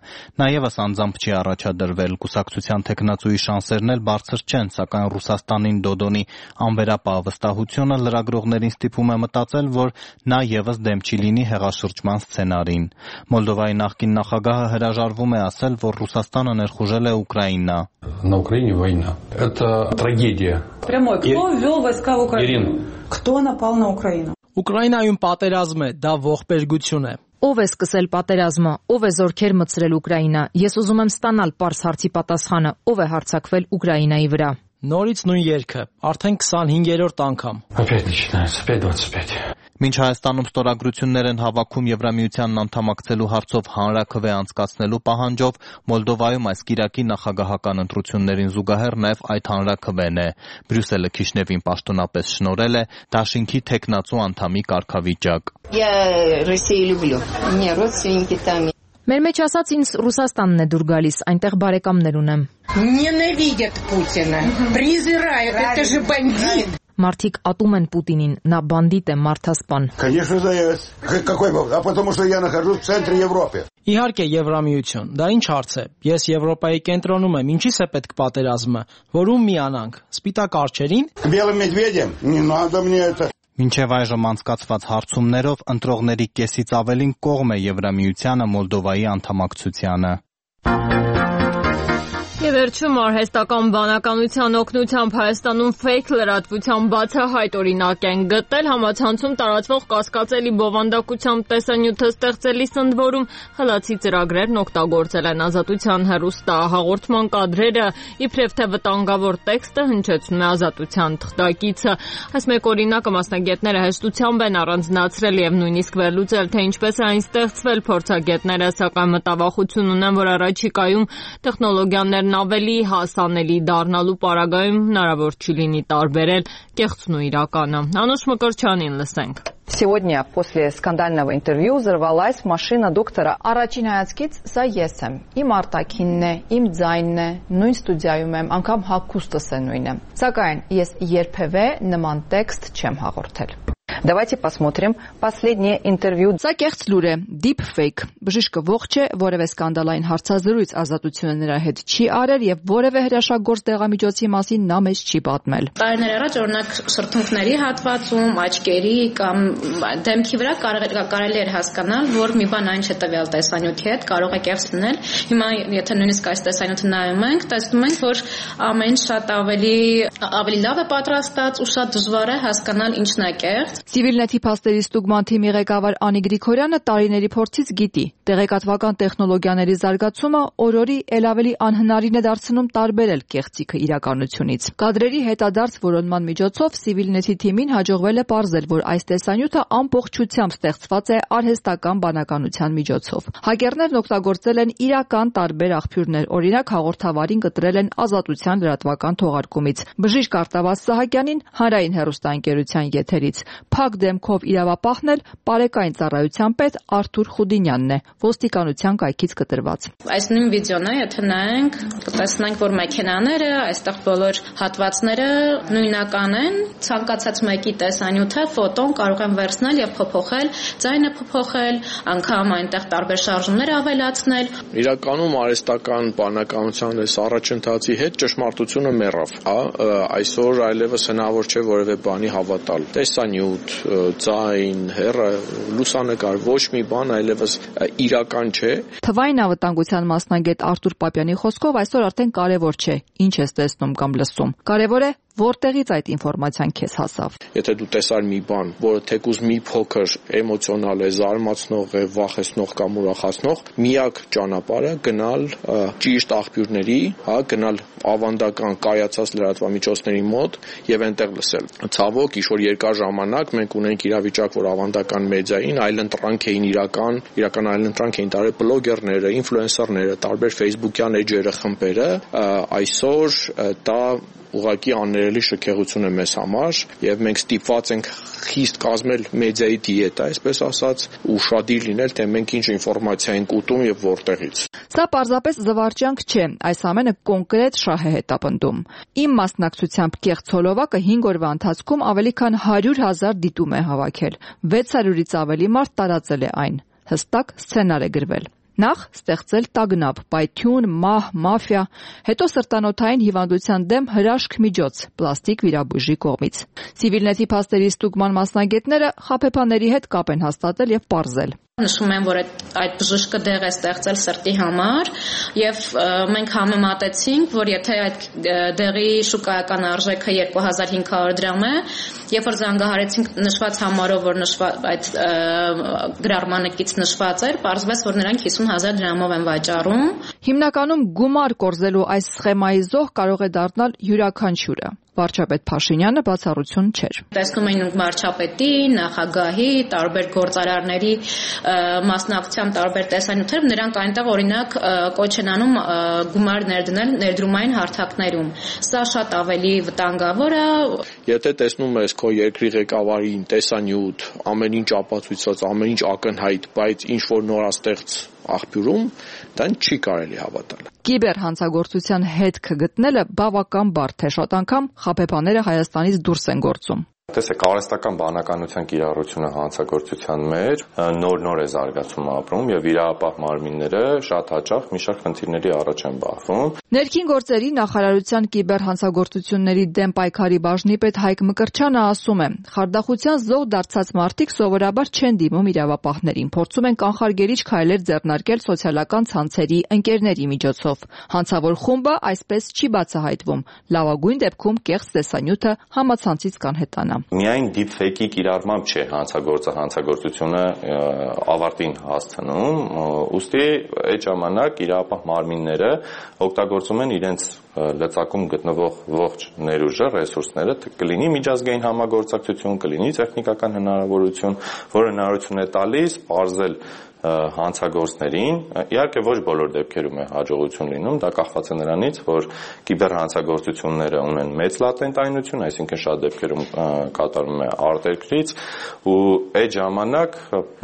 Նա ևս անձամբ չի առաջադրվել, կուսակցության թեկնածուի շանսերն էլ բարձր չեն, սակայն Ռուսաստանին Դոդոնի անվերապահ վստահությունը լրագրողներին ստիպում է մտածել, որ նա ևս դեմ չի լինի հեղաշրջման սցենարին։ Մոլդովայի նախկին նախագահը հրաժարվում է ասել, որ Ռուսաստանը ներխուժել է Ուկրաինա։ На Украине война. Это трагедия. Прямой. Кто ввел войска в Украину? Кто напал на Украину? Ուկրաինայում պատերազմ է, դա ողբերգություն է։ Ով է սկսել պատերազմը, ով է զորքեր մտցրել Ուկրաինա։ Ես ուզում եմ ստանալ պարզ հարցի պատասխանը, ով է հարձակվել Ուկրաինայի վրա։ Նորից նույն երգը, արդեն 25-րդ անգամ։ Опять начинается, опять 25. Մինչ Հայաստանում ստորագրություններ են հավաքում Եվրամիությանն անդամակցելու հարցով հանրաքվե անցկացնելու պահանջով, Մոլդովայում այս կիրակի նախագահական ընտրություններին զուգահեռ նաև այդ հանրաքվեն է։ Բրյուսելը Քիշնևին պաշտոնապես շնորհել է դաշինքի թեկնածու անդամի կարգավիճակ։ Մեր մեջ ասած ինձ Ռուսաստանն է դուր գալիս, այնտեղ բարեկամներ ունեմ։ Ненавидят Путина, презирают, это же бандит. Մարդիկ ատում են Պուտինին, նա բանդիտ է, մարդասպան։ Конечно, заяц. Какой бог? А потому что я нахожусь в центре Европы. Իհարկե Եվրամիություն, դա ինչ հարց է։ Ես Եվրոպայի կենտրոնում եմ, ինչի՞ս է պետք պատերազմը, որում միանանք, սպիտակ արջերին։ Белым медведем? Не надо мне это. Մինչև այժմ անցկացված հարցումներով ընտրողների կեսից ավելին կողմ է Եվրամիությանը Մոլդովայի անդամակցությանը։ Եվ վերջում արհեստական բանականության օգնությամբ Հայաստանում ֆեյք լրատվության բացահայտ օրինակ են գտել, համացանցում տարածվող կասկածելի բովանդակությամբ տեսանյութը ստեղծելիս ընդ որում խլացի ծրագրերն օգտագործել են Ազատության հեռուստահաղորդման կադրերը, իբրև թե վտանգավոր տեքստը հնչեցնում է Ազատության թղթակիցը։ Այս մեկ օրինակը մասնագետները հեշտությամբ են առանձնացրել եւ նույնիսկ վերլուծել, թե ինչպես է այն ստեղծվել, փորձագետները սակայն մտավախություն ունեն, որ առաջիկայում տեխնոլոգիաներն ավելի հասանելի դառնալու պարագայում հնարավոր չի լինի տարբերել կեղծն ու իրականը։ Անուշ Մկրտչյանին լսենք։ Сегодня после скандального интервью взорвалась машина доктора. Առաջին հայացքից սա ես եմ։ Իմ արտաքինն է, իմ ձայնն է, նույն ստուդիայում եմ, անգամ հագուստս է նույնը։ Սակայն ես երբևէ նման տեքստ չեմ հաղորդել։ Давайте посмотрим последнее интервью. Սա կեղծ լուր է, deepfake։ Բժիշկը ողջ է, որևէ սկանդալային հարցազրույց Ազատությունը նրա հետ չի արել եւ որևէ հրաշագործ դեղամիջոցի մասին նա մեզ չի պատմել։ Տարիներ առաջ օրինակ սրտունքների հատվածում, աչքերի կամ դեմքի վրա կարելի էր հասկանալ, որ մի բան այն չէ տվյալ տեսանյութի հետ, կարող է կեղծ լինել։ Հիմա եթե նույնիսկ այս տեսանյութը նայում ենք, տեսնում ենք, որ ամեն շատ ավելի լավ է պատրաստած ու շատ դժվար է հասկանալ ինչն է կեղծ։ Civilnet-ի փաստերի ստուգման թիմի ղեկավար Անի Գրիգորյանը տարիների փորձից գիտի, տեղեկատվական տեխնոլոգիաների զարգացումը օրորի ել ավելի անհնարին է դարձնում տարբերել կեղծիքը իրականությունից։ Կադրերի հետադարձ որոնման միջոցով Civilnet-ի թիմին հաջողվել է պարզել, որ այս տեսանյութը ամբողջությամբ ստեղծված է արհեստական բանականության միջոցով։ Հակերներն օգտագործել են իրական տարբեր աղբյուրներ, օրինակ հաղորդավարին կտրել են Ազատության լրատվական թողարկումից։ Բժիշկ Արտավազ Սահակյանին Հանրային հեռուստաընկերության եթերից։ Փակ դեմքով իրավապահն էլ Պարեկային ծառայության պետ Արթուր Խուդինյանն է, ոստիկանության կայքից կտրված։ Այս նույն վիդեոն է, եթե նայենք, կտեսնենք, որ մեքենաները, այստեղ բոլոր հատվածները նույնական են, ցանկացած մեկի տեսանյութը, ֆոտոն կարող են վերցնել եւ փոփոխել, ձայնը փոփոխել, անգամ այնտեղ տարբեր շարժումներ ավելացնել։ Իրականում արհեստական բանականության այս առաջընթացի հետ ճշմարտությունը մեռավ, այսօր այլևս հնարավոր չէ որևէ բանի հավատալ։ Տեսանյութ, ձայն, հեռը, լուսանկար, ոչ մի բան այլևս իրական չէ։ Թվային անվտանգության մասնագետ Արտուր Պապյանի խոսքով այսօր արդեն կարևոր չէ, ինչ ես տեսնում կամ լսում։ Կարևոր է որտեղից այդ ինֆորմացիան քեզ հասավ։ Եթե դու տեսար մի բան, որը թեկուզ մի փոքր էմոցիոնալ է, զարմացնող է, վախեցնող կամ ուրախացնող, միակ ճանապարհը գնալ ճիշտ աղբյուրների, գնալ ավանդական կայացած լրատվամիջոցների մոտ եւ այնտեղ լսել։ Ցավոք, ինչ-որ երկար ժամանակ մենք ունենք իրավիճակ, որ ավանդական մեդիային այլընտրանք էին իրական այլընտրանք էին տարել բլոգերները, ինֆլուենսերները, տարբեր Facebook-յան էջերը, խմբերը, այսօր դա ուղղակի աններելի շքեղություն է մեզ համար եւ մենք ստիպված ենք խիստ կազմել մեդիայի դիետա, այսպես ասած, ուշադիր լինել, թե մենք ինչ ինֆորմացիա ենք ուտում եւ որտեղից։ Սա պարզապես զվարճանք չէ, այս ամենը կոնկրետ շահ է հետապնդում։ Իմ մասնակցությամբ կեղծ հոլովակը 5 օրվա ընթացքում ավելի քան 100,000 դիտում է հավաքել։ 600-ից ավելի մարդ տարածել է այն։ Հստակ սցենար է գրվել։ Նախ ստեղծել տագնապ, պայթյուն, մահ, մաֆիա, հետո սրտանոթային հիվանդության դեմ հրաշք միջոց, պլաստիկ վիրաբույժի կողմից։ Civilnet-ի փաստերի ստուգման մասնագետները խաբեբաների հետ կապ են հաստատել եւ պարզել։ Նշում են, որ այդ բժիշկը դեղ է ստեղծել սրտի համար եւ մենք համեմատեցինք, որ եթե այդ դեղի շուկայական արժեքը 2500 դրամ է, երբ որ զանգահարեցինք նշված համարով, որ այդ գրառմանակից նշված էր, պարզվեց, որ նրանք 50,000 դրամով են վաճառում։ Հիմնականում գումար կորզելու այս սխեմայի զոհ կարող է դառնալ յուրաքանչյուրը։ Վարչապետ Փաշինյանը բացառություն չէր։ Տեսնում ենք վարչապետի, նախագահի, տարբեր գործարարների մասնակցությամբ տարբեր տեսանյութեր, նրանք այնտեղ օրինակ կոչ են անում գումար ներդնել ներդրումային հարթակներում։ Սա շատ ավելի վտանգավոր է։ Եթե տեսնում ես քո երկրի ղեկավարին տեսանյութ, ամեն ինչ ապացույցած, ամեն ինչ ակնհայտ, բայց ինչ որ նորաստեղծ աղբյուրում դա չի կարելի հավատալ։ Կիբերհանցագործության հետք գտնելը բավական բարդ է, շատ անգամ խաբեբաները Հայաստանից դուրս են գործում։ Տեսեք, արհեստական բանականության կիրառությունը հանցագործության մեջ նոր է զարգացում ապրում եւ իրավապահ մարմինները շատ հաճախ մի շարք խնդիրների առաջ են բախվում։ Ներքին գործերի նախարարության կիբերհանցագործությունների դեմ պայքարի բաժնի պետ Հայկ Մկրտչյանը ասում է. «Խարդախության զոհ դարձած մարդիկ սովորաբար չեն դիմում իրավապահներին, փորձում են կանխարգելիչ քայլեր ձեռնարկել սոցիալական ցանցերի ընկերների միջոցով։ Հանցավոր խումբը այսպես չի բացահայտվում։ Լավագույն դեպքում կեղծ տեսանյութը համացանցից կանհետանա»։ Միայն deepfake-ի կիրառմամբ չէ հանցագործությունը ավարտին հասցնում, ուստի այդ ժամանակ իրավապահ մարմինները օգտագործում են իրենց լծակում գտնվող ողջ ներուժը, ռեսուրսները, կլինի միջազգային համագործակցություն, կլինի տեխնիկական հնարավորություն, որ հնարավորություն է տալիս պարզել հանցագործներին, իհարկե ոչ բոլոր դեպքերում է հաջողություն լինում, դա կախված է նրանից, որ կիբերհանցագործությունները ունեն մեծ լատենտայնություն, այսինքն շատ դեպքերում կատարվում է արտերկրից, ու այդ ժամանակ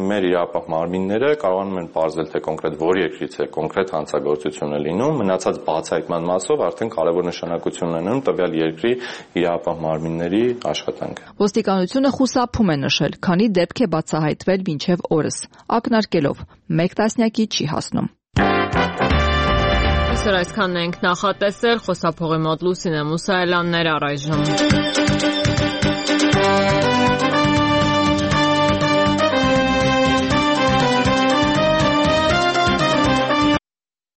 մեր իրավապահ մարմինները կարողանում են պարզել, թե կոնկրետ որ երկրից է կոնկրետ հանցագործությունը լինում, մնացած բացահայտման մասով արդեն կարևոր նշանակություն ունենում տվյալ երկրի իրավապահ մարմինների աշխատանքը։ Ոստիկանությունը խուսափում է նշել, քանի դեպք է բացահայտվել մինչև օրս, ակնարկելով մեկ տասնյակի չի հասնում։ Այսօր այսքանն ենք նախատեսել, խոսափողի մոտ Լուսինե Մուսայելյաններ առայժմ։